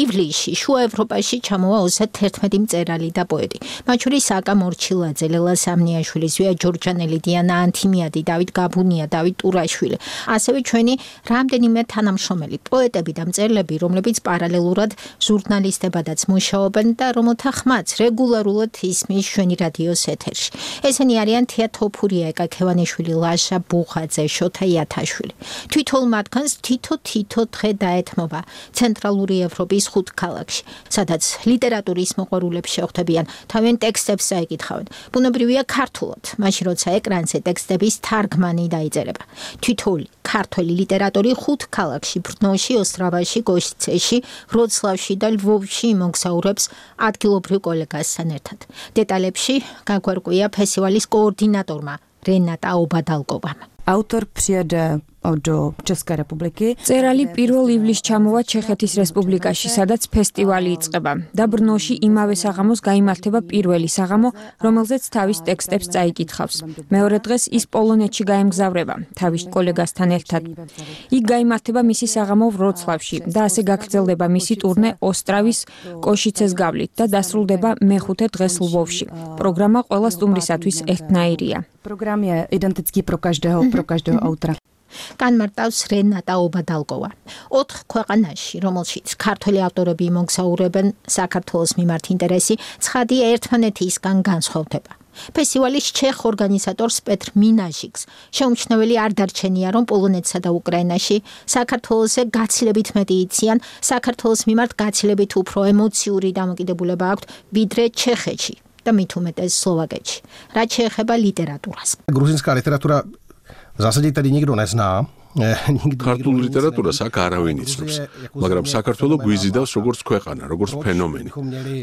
ივლისში შუა ევროპაში ჩამოვა ოცდაათერთმეტი მწერალი და პოეტი. მათ შორის აკა მორჩილაძე, ლელა სამნიაშვილი, ზვია ჯორჯანელი, დიანა ანთიმიადი, დავით გაბუნია, დავით ტურაშვილი. ასევე ჩვენი რამდენიმე თანამშრომელი პოეტები და მწერლები, რომლებიც პარალელურად ჟურნალისტებადაც მუშაობენ და რომელთა ხმაც რეგულარულად ისმის ჩვენი რადიოს ეთერში. ესენი არიან თეატოფურია ეკაქევანიშვილი, ლაშა ბუხაძე, შოთა იათაშვილი. თვითონ მათგანს თითო-თითო დღე დაეთმობა ცენტრალური ევროპის ხუთ ქალაქში, სადაც ლიტერატურის მოყვარულებს შეხვდებიან, თავენ ტექსტებს აიკითხავენ. ბუნებრივია ქართულად, მაშინ როცა ეკრანზე ტექსტების თარგმანი დაიწერება. თითოეული ქართველი ლიტერატორი ხუთ ქალაქში, ბრნოში, ოსტრავაში, კოშიცეში, ვროცლავში და ლვოვში იმოგზაურებს ადგილობრივ კოლეგასთან ერთად. დეტალებში გაგვარკვია ფესტივალის კოორდინატორმა რენატა ობადალკოვამ. Autor přijede do České republiky. წერალი პირველ ივლისს ჩამოვა ჩეხეთის რესპუბლიკაში, სადაც ფესტივალი იწყება. და ბრნოში იმავე საღამოს გაიმართება პირველი საღამო, რომელზეც თავის ტექსტებს წაიკითხავს. მეორე დღეს ის პოლონეთში გაემგზავრება, თავის კოლეგასთან ერთად. იქ გაიმართება მისი საღამო ვროცლავში და ასე გაგრძელდება მისი ტურნე ოსტრავის კოშიცეს გავლით და დასრულდება მეხუთე დღეს ლვოვში. პროგრამა ყველა სტუმრისათვის ერთნაირია. Program je identický pro každého, pro každého autora. განმარტავს რენატა ობადალკოვა. ოთხ ქვეყანაში, რომელშიც ქართველი ავტორები იმოგზაურებენ, საქართველოს მიმართ ინტერესი ცხადია ერთმანეთისგან განსხვავდება. ფესტივალის ჩეხ ორგანიზატორს პეტრ მინაშიკს შეუმჩნეველი არ დარჩენია, რომ პოლონეთსა და უკრაინაში საქართველოსზე გაცილებით მეტი იციან, საქართველოს მიმართ გაცილებით უფრო ემოციური დამოკიდებულება აქვთ, ვიდრე ჩეხეთში და მით უმეტეს სლოვაკეთში. რაც შეეხება ლიტერატურას. Gruzinská literatura v zásadě tady nikdo nezná. ქართულ ლიტერატურას აქ არავინ იცნობს, მაგრამ საქართველოს გვიზიდავს როგორც ქვეყანა, როგორც ფენომენი.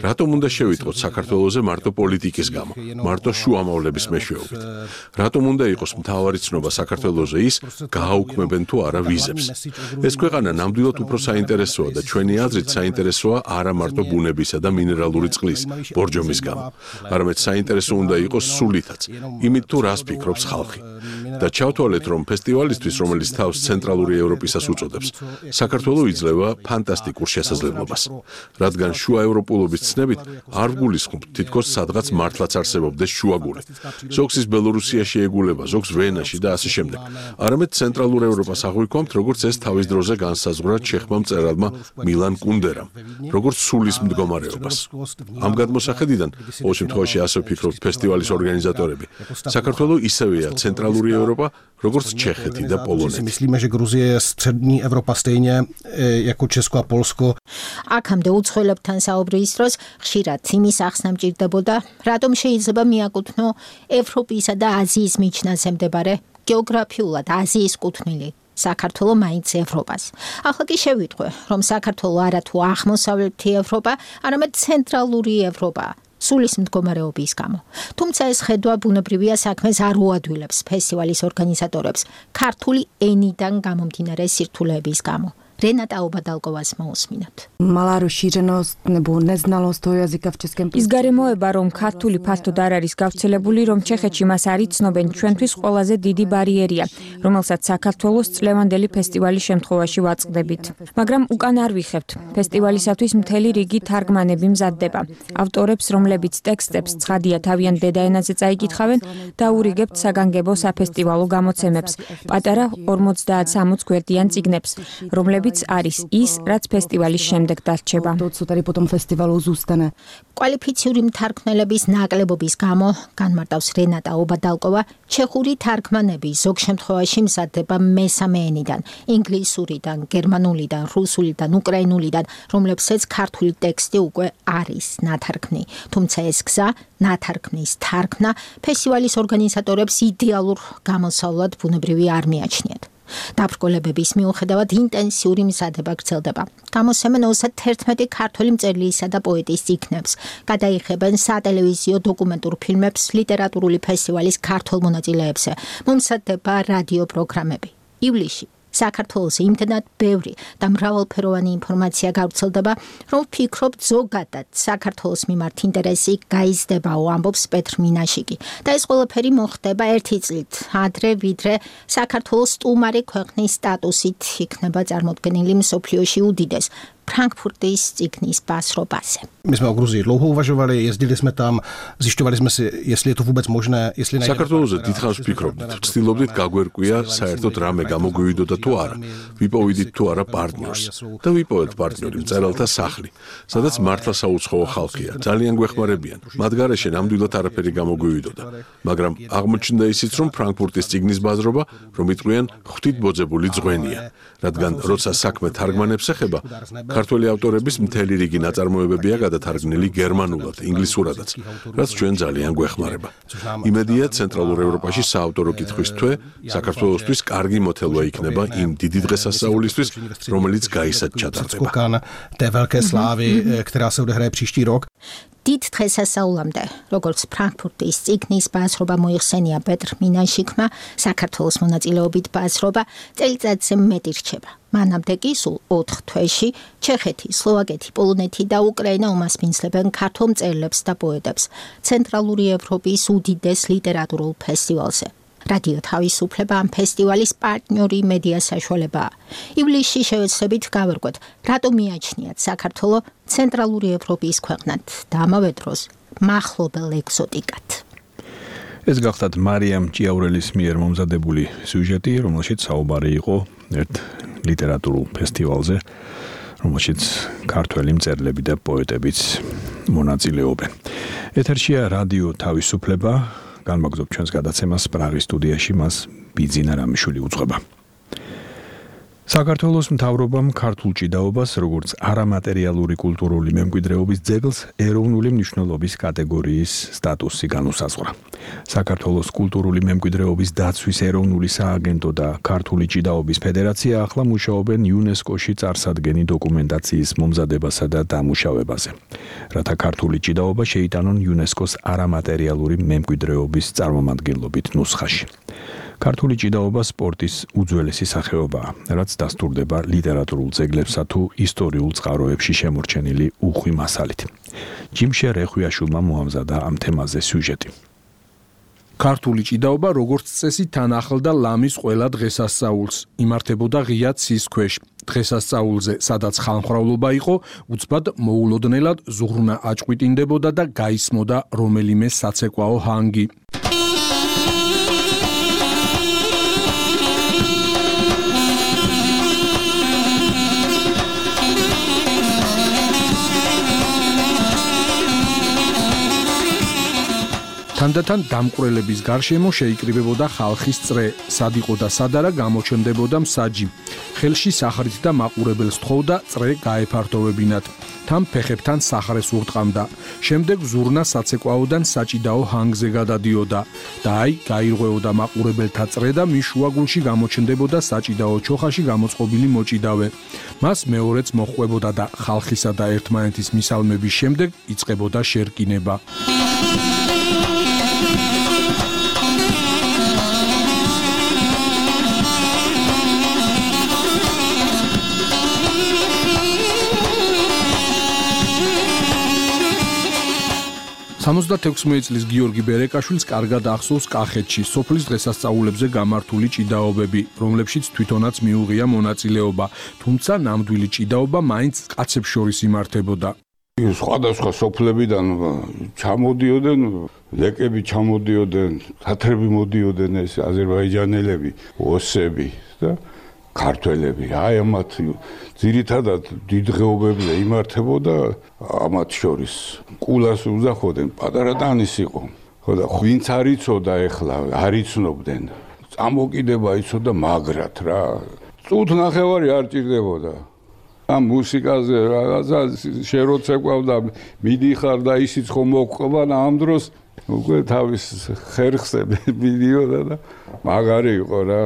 რატომ უნდა შევიტყოთ საქართველოზე მარტო პოლიტიკის გამო, მარტო შუამავლების მეშვეობით? რატომ უნდა იყოს მთავარი ცნობა საქართველოზე ის, გააუქმებენ თუ არა ვიზებს? ეს ქვეყანა ნამდვილად უფრო საინტერესოა და ჩვენი აზრით საინტერესოა არა მარტო ბუნებისა და მინერალური წყლის, ბორჯომის გამო, არამედ საინტერესო უნდა იყოს სულითაც, იმით თუ რას ფიქრობს ხალხი. და ჩავთვალეთ, რომ ფესტივალისთვის, რომელიც თავს ცენტრალური ევროპისას უწოდებს, საქართველო იძლევა ფანტასტიკურ შესაძლებლობას, რადგან შუა ევროპულობის ცნებით არ ვგულისხმობთ თითქოს სადღაც მართლაც არსებობდეს შუაგული. ზოგს ის ბელორუსიაში ეგულება, ზოგს ვენაში და ასე შემდეგ. არამედ ცენტრალურ ევროპას აღვიქვამთ, როგორც ეს თავის დროზე განსაზღვრა ჩეხმა მწერალმა მილან კუნდერამ, როგორც სულის მდგომარეობას. ამ გადმოსახედიდან, ყოველ შემთხვევაში ასე ვფიქრობთ ფესტივალის ორგანიზატორები, საქართველო ისევეა ცენტრალური ევროპა, როგორც ჩეხეთი და პოლონეთი. Myslíme, že Gruzie je střední Evropa stejně jako Česko a Polsko. აქამდე უცხოელებთან საუბრის დროს ხშირად იმის ახსნა მჭირდებოდა, რატომ შეიძლება მიაკუთვნო ევროპისა და აზიის მიჯნაზე მდებარე გეოგრაფიულად აზიის კუთვნილი საქართველო მაინც ევროპას. ახლა კი შევიტყვე, რომ საქართველო არა თუ აღმოსავლეთი ევროპა, არამედ ცენტრალური ევროპა. სულის მდგომარეობის გამო. თუმცა ეს ხედვა ბუნებრივია საქმეს არ უადვილებს ფესტივალის ორგანიზატორებს ქართული ენიდან გამომდინარე სირთულეების გამო. Renata Obadalkovas მოусმინოთ. Mala rozšířenost nebo neznalost toho jazyka v českém ის გარემოება, რომ ქართული ფართოდ არ არის გავრცელებული, რომ ჩეხეთში მას არ იცნობენ, ჩვენთვის ყველაზე დიდი ბარიერია, რომელსაც საქართველოს წლევანდელი ფესტივალის შემთხვევაში ვაწყდებით. მაგრამ უკან არ ვიხევთ. ფესტივალისათვის მთელი რიგი თარგმანები მზადდება. ავტორებს, რომლებიც ტექსტებს ცხადია თავიანთ დედაენაზე წაიკითხავენ, დაურიგებთ საგანგებო საფესტივალო გამოცემებს, პატარა ორმოცდაათ-სამოცდ გვერდიან წიგნებს, რომლებიც არის ის, რაც ფესტივალის შემდეგ დარჩება. კვალიფიციური მთარგმნელების ნაკლებობის გამო, განმარტავს რენატა ობადალკოვა, ჩეხური თარგმანები ზოგ შემთხვევაში მზადდება მესამე ენიდან, ინგლისურიდან, გერმანულიდან, რუსულიდან, უკრაინულიდან, რომლებსაც ქართული ტექსტი უკვე არის ნათარგმნი. თუმცა ეს გზა, ნათარგმნის თარგმნა, ფესტივალის ორგანიზატორებს იდეალურ გამოსავლად ბუნებრივი არ მიაჩნიათ. დაბრკოლებების მიუხედავად ინტენსიური მზადება გრძელდება. გამოსცემენ ოცდაერთმეტი ქართველი მწერლისა და პოეტის წიგნებს, გადაიხებენ სატელევიზიო დოკუმენტურ ფილმებს ლიტერატურული ფესტივალის ქართულ მონაწილეებზე, მომზადდება რადიო პროგრამები. ივლისში საქართველოს იმდენად ბევრი და მრავალფეროვანი ინფორმაცია გავრცელდება, რომ ვფიქრობთ ზოგადად საქართველოს მიმართ ინტერესი გაიზრდებაო, ამბობს პეტრ მინაშიკი. და ეს ყველაფერი მოხდება ერთი წლით, ადრე ვიდრე საქართველოს სტუმარი ქვეყნის სტატუსით იქნება წარმოდგენილი მსოფლიოში უდიდეს Frankfurtis cyknis Basrobase. My jsme o Gruzii dlouho uvažovali, jezdili jsme tam, zjišťovali jsme si, jestli je to vůbec možné, jestli najde. საქართველოზე დიდხანს ვფიქრობდით, ვცდილობდით გაგვერკვია საერთოდ რამე გამოგვივიდოდა თუ არა. ვიპოვიდით თუ არა პარტნიორს და ვიპოვეთ პარტნიორი მწერალთა სახლი, სადაც მართლა საუცხოო ხალხია, ძალიან გვეხმარებიან. მათ გარეშე ნამდვილად არაფერი გამოგვივიდოდა, მაგრამ აღმოჩნდა ისიც, რომ ფრანკფურტის ციგნის ბაზრობა, რომ იტყვიან ღვთით ბოძებული ძღვენია, რადგან როცა საქმე თარგმანებს ეხება, ქართველი ავტორების მთელი რიგი ნაწარმოებებია გადათარგმნილი გერმანულად, ინგლისურადაც, რაც ჩვენ ძალიან გვეხმარება. იმედია, ცენტრალურ ევროპაში საავტორო კითხვის თვე საქართველოსთვის კარგი მოთელვა იქნება იმ დიდი დღესასწაულისთვის, რომელიც გაისად ჩატარდება. Té velké slávy, která se odehraje příští rok. დიდ დღესასწაულამდე, როგორც ფრანკფურტის ციგნის ბაზრობა მოიხსენია პეტრ მინაშიკმა, საქართველოს მონაწილეობით ბაზრობა წელიწადზე მეტი რჩება. მანამდე კი სულ ოთხ თვეში ჩეხეთი, სლოვაკეთი, პოლონეთი და უკრაინა უმასპინძლებენ ქართულ მწერლებს და პოეტებს ცენტრალური ევროპის უდიდეს ლიტერატურულ ფესტივალზე. რადიო თავისუფლება ამ ფესტივალის პარტნიორი მედია საშუალებაა. ივლისში შევეცდებით გავერკვეთ, რატომ მიაჩნიათ საქართველო ცენტრალური ევროპის ქვეყნად და ამავე დროს მახლობელ ეგზოტიკად. ეს გახლავთ მარიამ ჭიაურელის მიერ მომზადებული სიუჟეტი, რომელშიც საუბარი იყო ერთ ლიტერატურულ ფესტივალზე, რომელშიც ქართველი მწერლები და პოეტებიც მონაწილეობენ. ეთერშია რადიო თავისუფლება. განმაგზობ ჩვენს გადაცემას პრაღის სტუდიაში მას ბიძინა რამიშვილი უძღვება. საქართველოს მთავრობამ ქართულ ჭიდაობას, როგორც არამატერიალური კულტურული მემკვიდრეობის ძეგლს ეროვნული მნიშვნელობის კატეგორიის სტატუსი განუსაზღვრა. საქართველოს კულტურული მემკვიდრეობის დაცვის ეროვნული სააგენტო და ქართული ჭიდაობის ფედერაცია ახლა მუშაობენ იუნესკოში წარსადგენი დოკუმენტაციის მომზადებასა და დამუშავებაზე, რათა ქართული ჭიდაობა შეიტანონ იუნესკოს არამატერიალური მემკვიდრეობის წარმომადგენლობით ნუსხაში. ქართული ჭიდაობა სპორტის უძველესი სახეობაა, რაც დასტურდება ლიტერატურულ ძეგლებსა თუ ისტორიულ წყაროებში შემორჩენილი უხვი მასალით. ჯიმშე რეხვიაშვილმა მოამზადა ამ თემაზე სიუჟეტი. ქართული ჭიდაობა როგორც წესი თან ახლდა ლამის ყველა დღესასწაულს, იმართებოდა ღია ცის ქვეშ. დღესასწაულზე, სადაც ხალხმრავლობა იყო, უცბად მოულოდნელად ზუღრნა აჭყვიტინდებოდა და გაისმოდა რომელიმე საცეკვაო ჰანგი. თანდათან დამკვრელების გარშემო შეიკრიბებოდა ხალხის წრე, სად იყო და სად არა გამოჩნდებოდა მსაჯი. ხელში სახრით და მაყურებელს თხოვდა წრე გაეფართოვებინათ. თან ფეხებთან სახრეს ურტყამდა. შემდეგ ზურნა საცეკვაოდან საჭიდაო ჰანგზე გადადიოდა და აი გაირღვეოდა მაყურებელთა წრე და მის შუაგულში გამოჩნდებოდა საჭიდაო ჩოხაში გამოწყობილი მოჭიდავე. მას მეორეც მოჰყვებოდა და ხალხისა და ერთმანეთის მისალმების შემდეგ იწყებოდა შერკინება. სამოცდათექვსმეტი წლის გიორგი ბერეკაშვილს კარგად ახსოვს კახეთში სოფლის დღესასწაულებზე გამართული ჭიდაობები, რომლებშიც თვითონაც მიუღია მონაწილეობა, თუმცა ნამდვილი ჭიდაობა მაინც კაცებს შორის იმართებოდა. სხვადასხვა სოფლებიდან ჩამოდიოდნენ, ლეკები ჩამოდიოდნენ, თათრები მოდიოდნენ, ეს აზერბაიჯანელები, ოსები და ქართველები. აი ამათ ძირითადად დიდღეობებზე იმართებოდა ამათ შორის. კულას უზახოდნენ, პატარა ტანის იყო. ხო და ვინც არ იცოდა ეხლა, არ იცნობდნენ. წამოკიდება იცოდა მაგრად რა. წუთ ნახევარი არ ჭირდებოდა. ამ მუსიკაზე რაღაცა შეროცეკვავდა, მიდიხარ და ისიც ხომ მოყვება და ამ დროს უკვე თავის ხერხზე მიდიოდა და მაგარი იყო რა.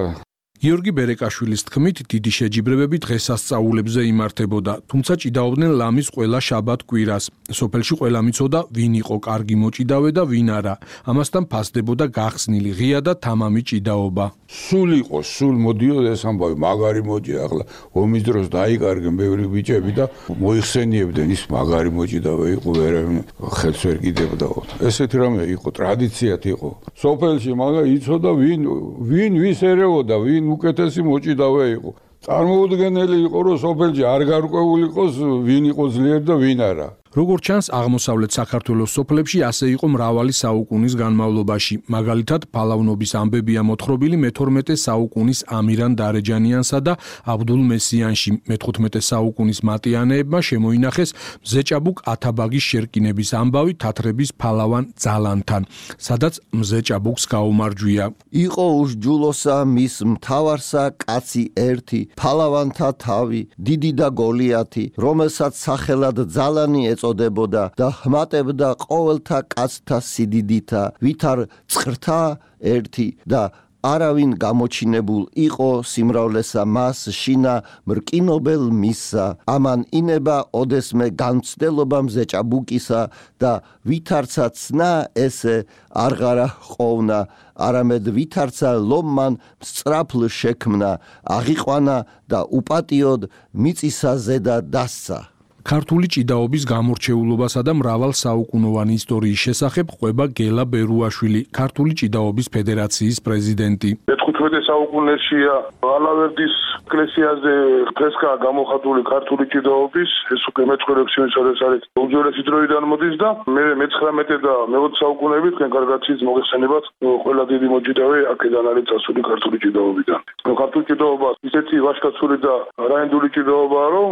გიორგი ბერეკაშვილის თქმით, დიდი შეჯიბრებები დღესასწაულებზე იმართებოდა, თუმცა ჭიდაობდნენ ლამის ყველა შაბათ-კვირას. სოფელში ყველა მიცოდა, ვინ იყო კარგი მოჭიდავე და ვინ არა. ამასთან ფასდებოდა გახსნილი ღია და თამამი ჭიდაობა. სულ იყო, სულ მოდიოდა ეს ამბავი, მაგარი მოჭი ახლა ომის დროს დაიკარგენ ბევრი ბიჭები და მოიხსენიებდნენ, ის მაგარი მოჭიდავე იყო, ვერავინ ხელს ვერ კიდებდა. ესეთი რამე იყო, ტრადიციად იყო. სოფელში მაგა იცოდა, ვინ ვინ ვის ერეოდა, ვინ უკეთესი მოჭიდავე იყო. წარმოუდგენელი იყო, რომ სოფელში არ გარკვეული იყოს, ვინ იყო ძლიერი და ვინ არა. როგორც ჩანს, აღმოსავლეთ საქართველოს სოფლებში ასე იყო მრავალი საუკუნის განმავლობაში. მაგალითად, ფალავნობის ამბებია მოთხრობილი მეთორმეტე საუკუნის ამირან დარეჯანიანსა და აბდულ მესიანში. მეთხუთმეტე საუკუნის მატიანეებმა შემოინახეს მზეჭაბუკ ათაბაგის შერკინების ამბავი თათრების ფალავან ძალანთან, სადაც მზეჭაბუკს გაუმარჯვია. იყო უშჯულოსა მის მთავარსა კაცი ერთი, ფალავანთა თავი, დიდი და გოლიათი, რომელსაც სახელად ძალანი წოდებოდა და ჰმატებდა ყოველთა კაცთა სიდიდითა, ვითარ წხრთა ერთი და არავინ გამოჩინებულ იყო სიმრავლესა მას შინა მრკინობელ მისსა. ამან ინება ოდესმე განცდელობა მზეჭაბუკისა და ვითარცა ცნა ესე არღარა ყოფნა, არამედ ვითარცა ლომმან სწრაფლ შექმნა, აღიყვანა და უპატიოდ მიწისა ზედა დასცა. ქართული ჭიდაობის გამორჩეულობასა და მრავალ საუკუნოვანი ისტორიის შესახებ ყვება გელა ბერუაშვილი, ქართული ჭიდაობის ფედერაციის პრეზიდენტი. მეთხუთმეტე საუკუნეშია ალავერდის ეკლესიაზე ფრესკა გამოხატული ქართული ჭიდაობის, ეს უკვე მეცხრეექვსი წელს არის უძველესი დროიდან მოდის და მე მეცხრამეტე და მეოცე საუკუნეები თქვენ კარგად იცით მოგეხსენებათ, ყველა დიდი მოჭიდავე აქედან არის წასული ქართული ჭიდაობიდან. ქართული ჭიდაობა ისეთი ვაჟკაცური და რაინდული ჭიდაობაა, რომ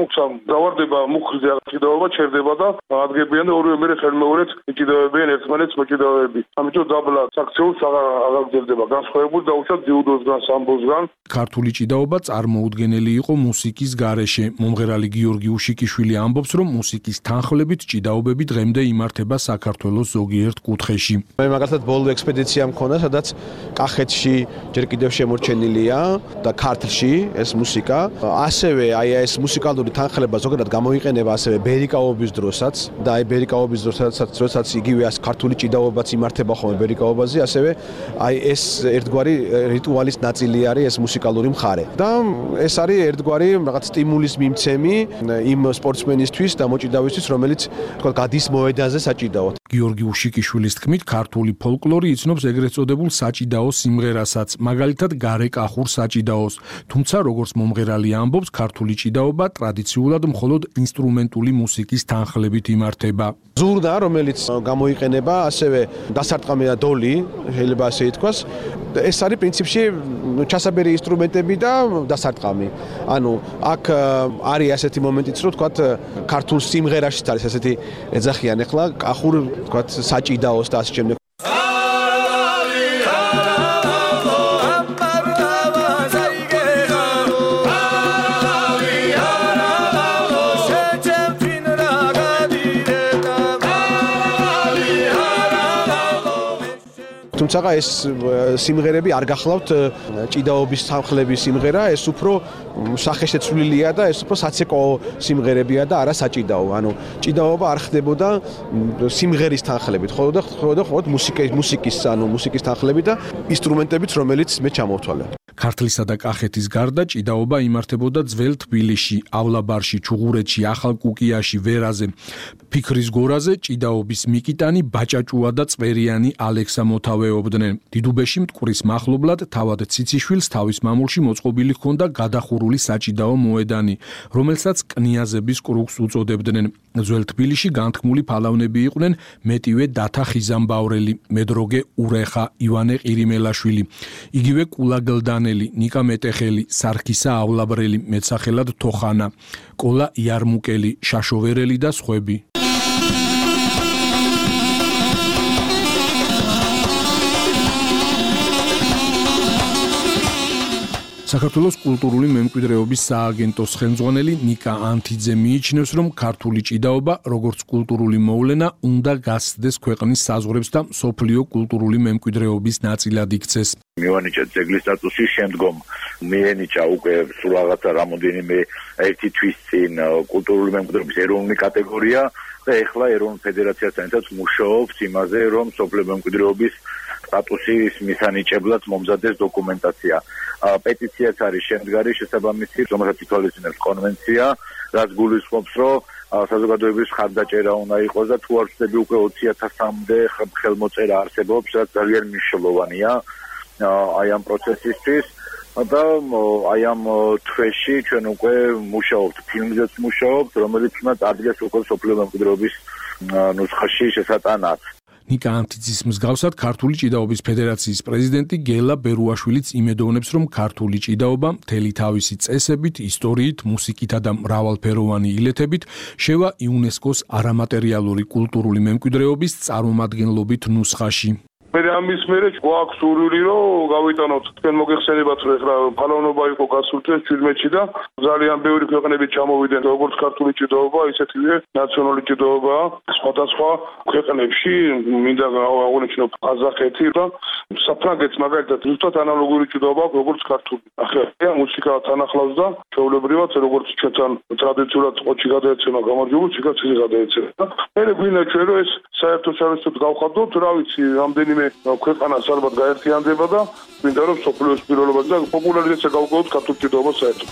დავარდება მუხზე ჭიდაობა ჩერდება და ადგებიან და ორივე მერე ხელმეორედ ჭიდაობებიან ერთმანეთს მოჭიდავეები. ამიტომ დაბლა საქციელს აღარ გძებდება განსხვავებული და უშად ძიუდოსგან სამბოსგან. ქართული ჭიდაობა წარმოუდგენელი იყო მუსიკის გარეშე. მომღერალი გიორგი უშიკიშვილი ამბობს, რომ მუსიკის თანხლებით ჭიდაობები დღემდე იმართება საქართველოს ზოგიერთ კუთხეში. მე მაგალითად ბოლო ექსპედიცია მქონდა, სადაც კახეთში ჯერ კიდევ შემორჩენილია და ქართლში ეს მუსიკა. ასევე აი ეს მუსიკალური თანხლება ზოგადად გამოიყენება ასევე ბერიკაობის დროსაც და აი ბერიკაობის დროსაც როდესაც იგივე ეს ქართული ჭიდაობაც იმართება ხოლმე ბერიკაობაზე, ასევე აი ეს ერთგვარი რიტუალის ნაწილი არის ეს მუსიკალური მხარე. და ეს არის ერთგვარი რაღაც სტიმულის მიმცემი იმ სპორტსმენისთვის და მოჭიდავისთვის, რომელიც თქვა გადის მოედანზე საჭიდაოდ. გიორგი უშიკიშვილის თქმით, ქართული ფოლკლორი იცნობს ეგრეთ წოდებულ საჭიდაო სიმღერასაც, მაგალითად გარეკახურ საჭიდაოს. თუმცა როგორც მომღერალი ამბობს, ქართული ჭიდაობა ტრადიციულად მხოლოდ ინსტრუმენტული მუსიკის თანხლებით იმართება. ზურდა, რომელიც გამოიყენება, ასევე დასარტყამი და დოლი, შეიძლება ასე ითქვას, ეს არის პრინციპში ჩასაბერი ინსტრუმენტები და დასარტყამი. ანუ აქ არის ასეთი მომენტიც, რომ თქვათ ქართულ სიმღერაშიც არის ასეთი ეძახიან ახლა კახურ თქვათ საჭიდაოს და ასე შემდეგ. თუმცა ეს სიმღერები არ გახლავთ ჭიდაობის თანხლების სიმღერა, ეს უფრო სახეშეცვლილია და ეს უფრო საცეკო სიმღერებია და არა საჭიდაო. ანუ ჭიდაობა არ ხდებოდა სიმღერის თანხლებით, ხოლმე და ხოლმე მუსიკის მუსიკის ანუ მუსიკის თანხლებით და ინსტრუმენტებით, რომელიც მე ჩამოვთვალე. ქართლისა და კახეთის გარდა ჭიდაობა იმართებოდა ძველ თბილისში,ავლაბარში, ჩუღურეთში, ახალ კუკიაში, ვერაზე. ფიქრის გორაზე ჭიდაობის მიკიტანი, ბაჭაჭუა და წვერიანი ალექსა მოთავეობდნენ. დიდუბეში მტკვრის მახლობლად თავად ციციშვილს თავის მამულში მოწყობილი ჰქონდა გადახურული საჭიდაო მოედანი, რომელსაც კნიაზების კრუგს უწოდებდნენ. ძველ თბილისში განთქმული ფალავნები იყვნენ მეტივე დათა ხიზამბავრელი, მედროგე ურეხა, ივანე ყირიმელაშვილი, იგივე კულაგლდანელი, ნიკა მეტეხელი, სარქისაავლაბრელი, მეცახელად თოხანა, კოლა იარმუკელი, შაშოვერელი და სხვები. საქართველოს კულტურული მემკვიდრეობის სააგენტოს ხელმძღვანელი ნიკა ანთიძე მიიჩნევს, რომ ქართული ჭიდაობა, როგორც კულტურული მოვლენა, უნდა გასცდეს ქვეყნის საზღვრებს და მსოფლიო კულტურული მემკვიდრეობის ნაწილად იქცეს. მივანიჭა ძეგლის სტატუსი, შემდგომ მიენიჭა უკვე სულ რაღაცა რამოდენიმე ერთი თვის წინ კულტურული მემკვიდრეობის ეროვნული კატეგორია და ეხლა ეროვნულ ფედერაციასთან ერთად მუშაობს იმაზე, რომ მსოფლიო მემკვიდრეობის სტატუსის მისანიჭებლად მომზადდეს დოკუმენტაცია. პეტიციაც არის შემდგარი შესაბამისი, რომელსაც ითვალისწინებს კონვენცია, რაც გულისხმობს, რომ საზოგადოების ხარდაჭერა უნდა იყოს და თუ არ ვცდები უკვე ოცი ათასამდე ხელმოწერა არსებობს, რაც ძალიან მნიშვნელოვანია აი ამ პროცესისთვის. და აი ამ თვეში ჩვენ უკვე მუშაობთ, ფილმზეც მუშაობთ, რომელიც უნდა წარდგეს უკვე მსოფლიო მემკვიდრეობის ნუსხაში შესატანად. ნიკა ანთიძის მსგავსად ქართული ჭიდაობის ფედერაციის პრეზიდენტი გელა ბერუაშვილიც იმედოვნებს, რომ ქართული ჭიდაობა მთელი თავისი წესებით, ისტორიით, მუსიკითა და მრავალფეროვანი ილეთებით შევა იუნესკოს არამატერიალური კულტურული მემკვიდრეობის წარმომადგენლობით ნუსხაში. მე ამის მერე გვაქვს სურვილი, რომ გავიტანოთ თქვენ მოგეხსენებათ, რომ ეხლა ფალავნობა იყო გასულ წელს ჩვიდმეტში და ძალიან ბევრი ქვეყნები ჩამოვიდნენ, როგორც ქართული ჭიდაობა, ისეთივე ნაციონალური ჭიდაობა სხვადასხვა ქვეყნებში, მინდა აღნიშნო ყაზახეთი და საფრანგეთს მაგალითად ზუსტად ანალოგური ჭიდაობა აქვს, როგორც ქართული. ახლა მუსიკა თანახლავს და ჩვეულებრივად, როგორც ჩვენთან ტრადიციულად ყოჩი გადაეცემა გამარჯვებული, მუსიკაც ისე გადაეცემა. და მე გვინდა ჩვენ რომ ეს საერთო საერთოდ გავხადოთ, რა ვიცი, რამდენი ქვეყანას ალბათ გაერთიანდება და მინდა რომ სოფლიოს პირველობაზე და პოპულარიზაცია გავყოთ ქართულ ჭიდაობას საერთოდ.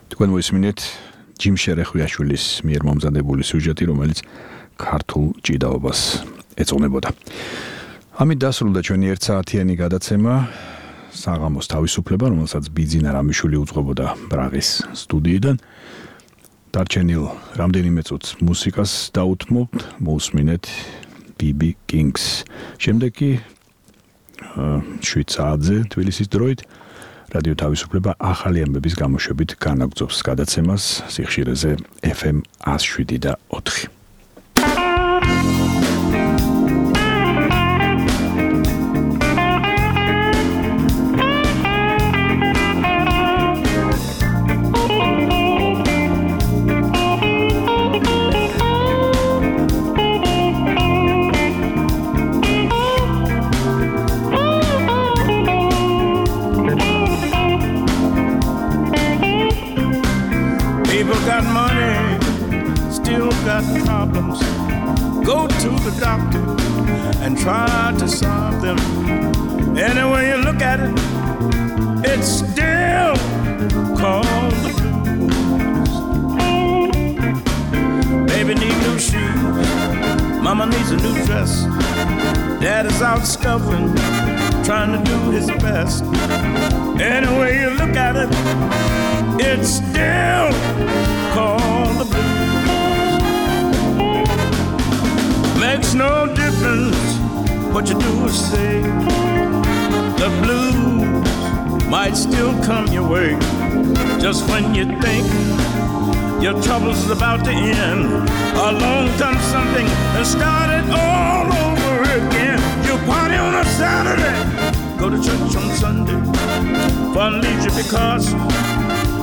თქვენ მოისმინეთ ჯიმ შერეხვიაშვილის მიერ მომზადებული სიუჟეტი, რომელიც ქართულ ჭიდაობას ეწონებოდა. ამით დასრულდა ჩვენი ერთ საათიანი გადაცემა საღამოს თავისუფლება, რომელსაც ბიძინა რამიშვილი უძღვებოდა ბრაღის სტუდიიდან. დარჩენილ რამდენიმე წუთს მუსიკას დაუთმობთ, მოусმინეთ ბი ბი Kings. შემდეგ კი შვიდ საათზე თბილისის დროით რადიო თავისუფლება ახალი ამბების გამოშვებით განაგრძობს გადაცემას სიხშირეზე ეფ ემ one oh seven და ოთხი. got money, still got problems. Go to the doctor and try to solve them. Any way you look at it, it's still called the blues. Baby need new shoes, mama needs a new dress. Dad is out scuffling, trying to do his best. Any way you look at it, it's still called the blues. Makes no difference what you do or say. The blues might still come your way. Just when you think your trouble's about to end, along comes something and start it all over again. You party on a Saturday, go to church on Sunday, fun leisure because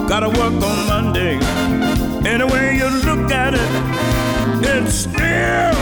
gotta work on Monday. Any way you look at it, it's still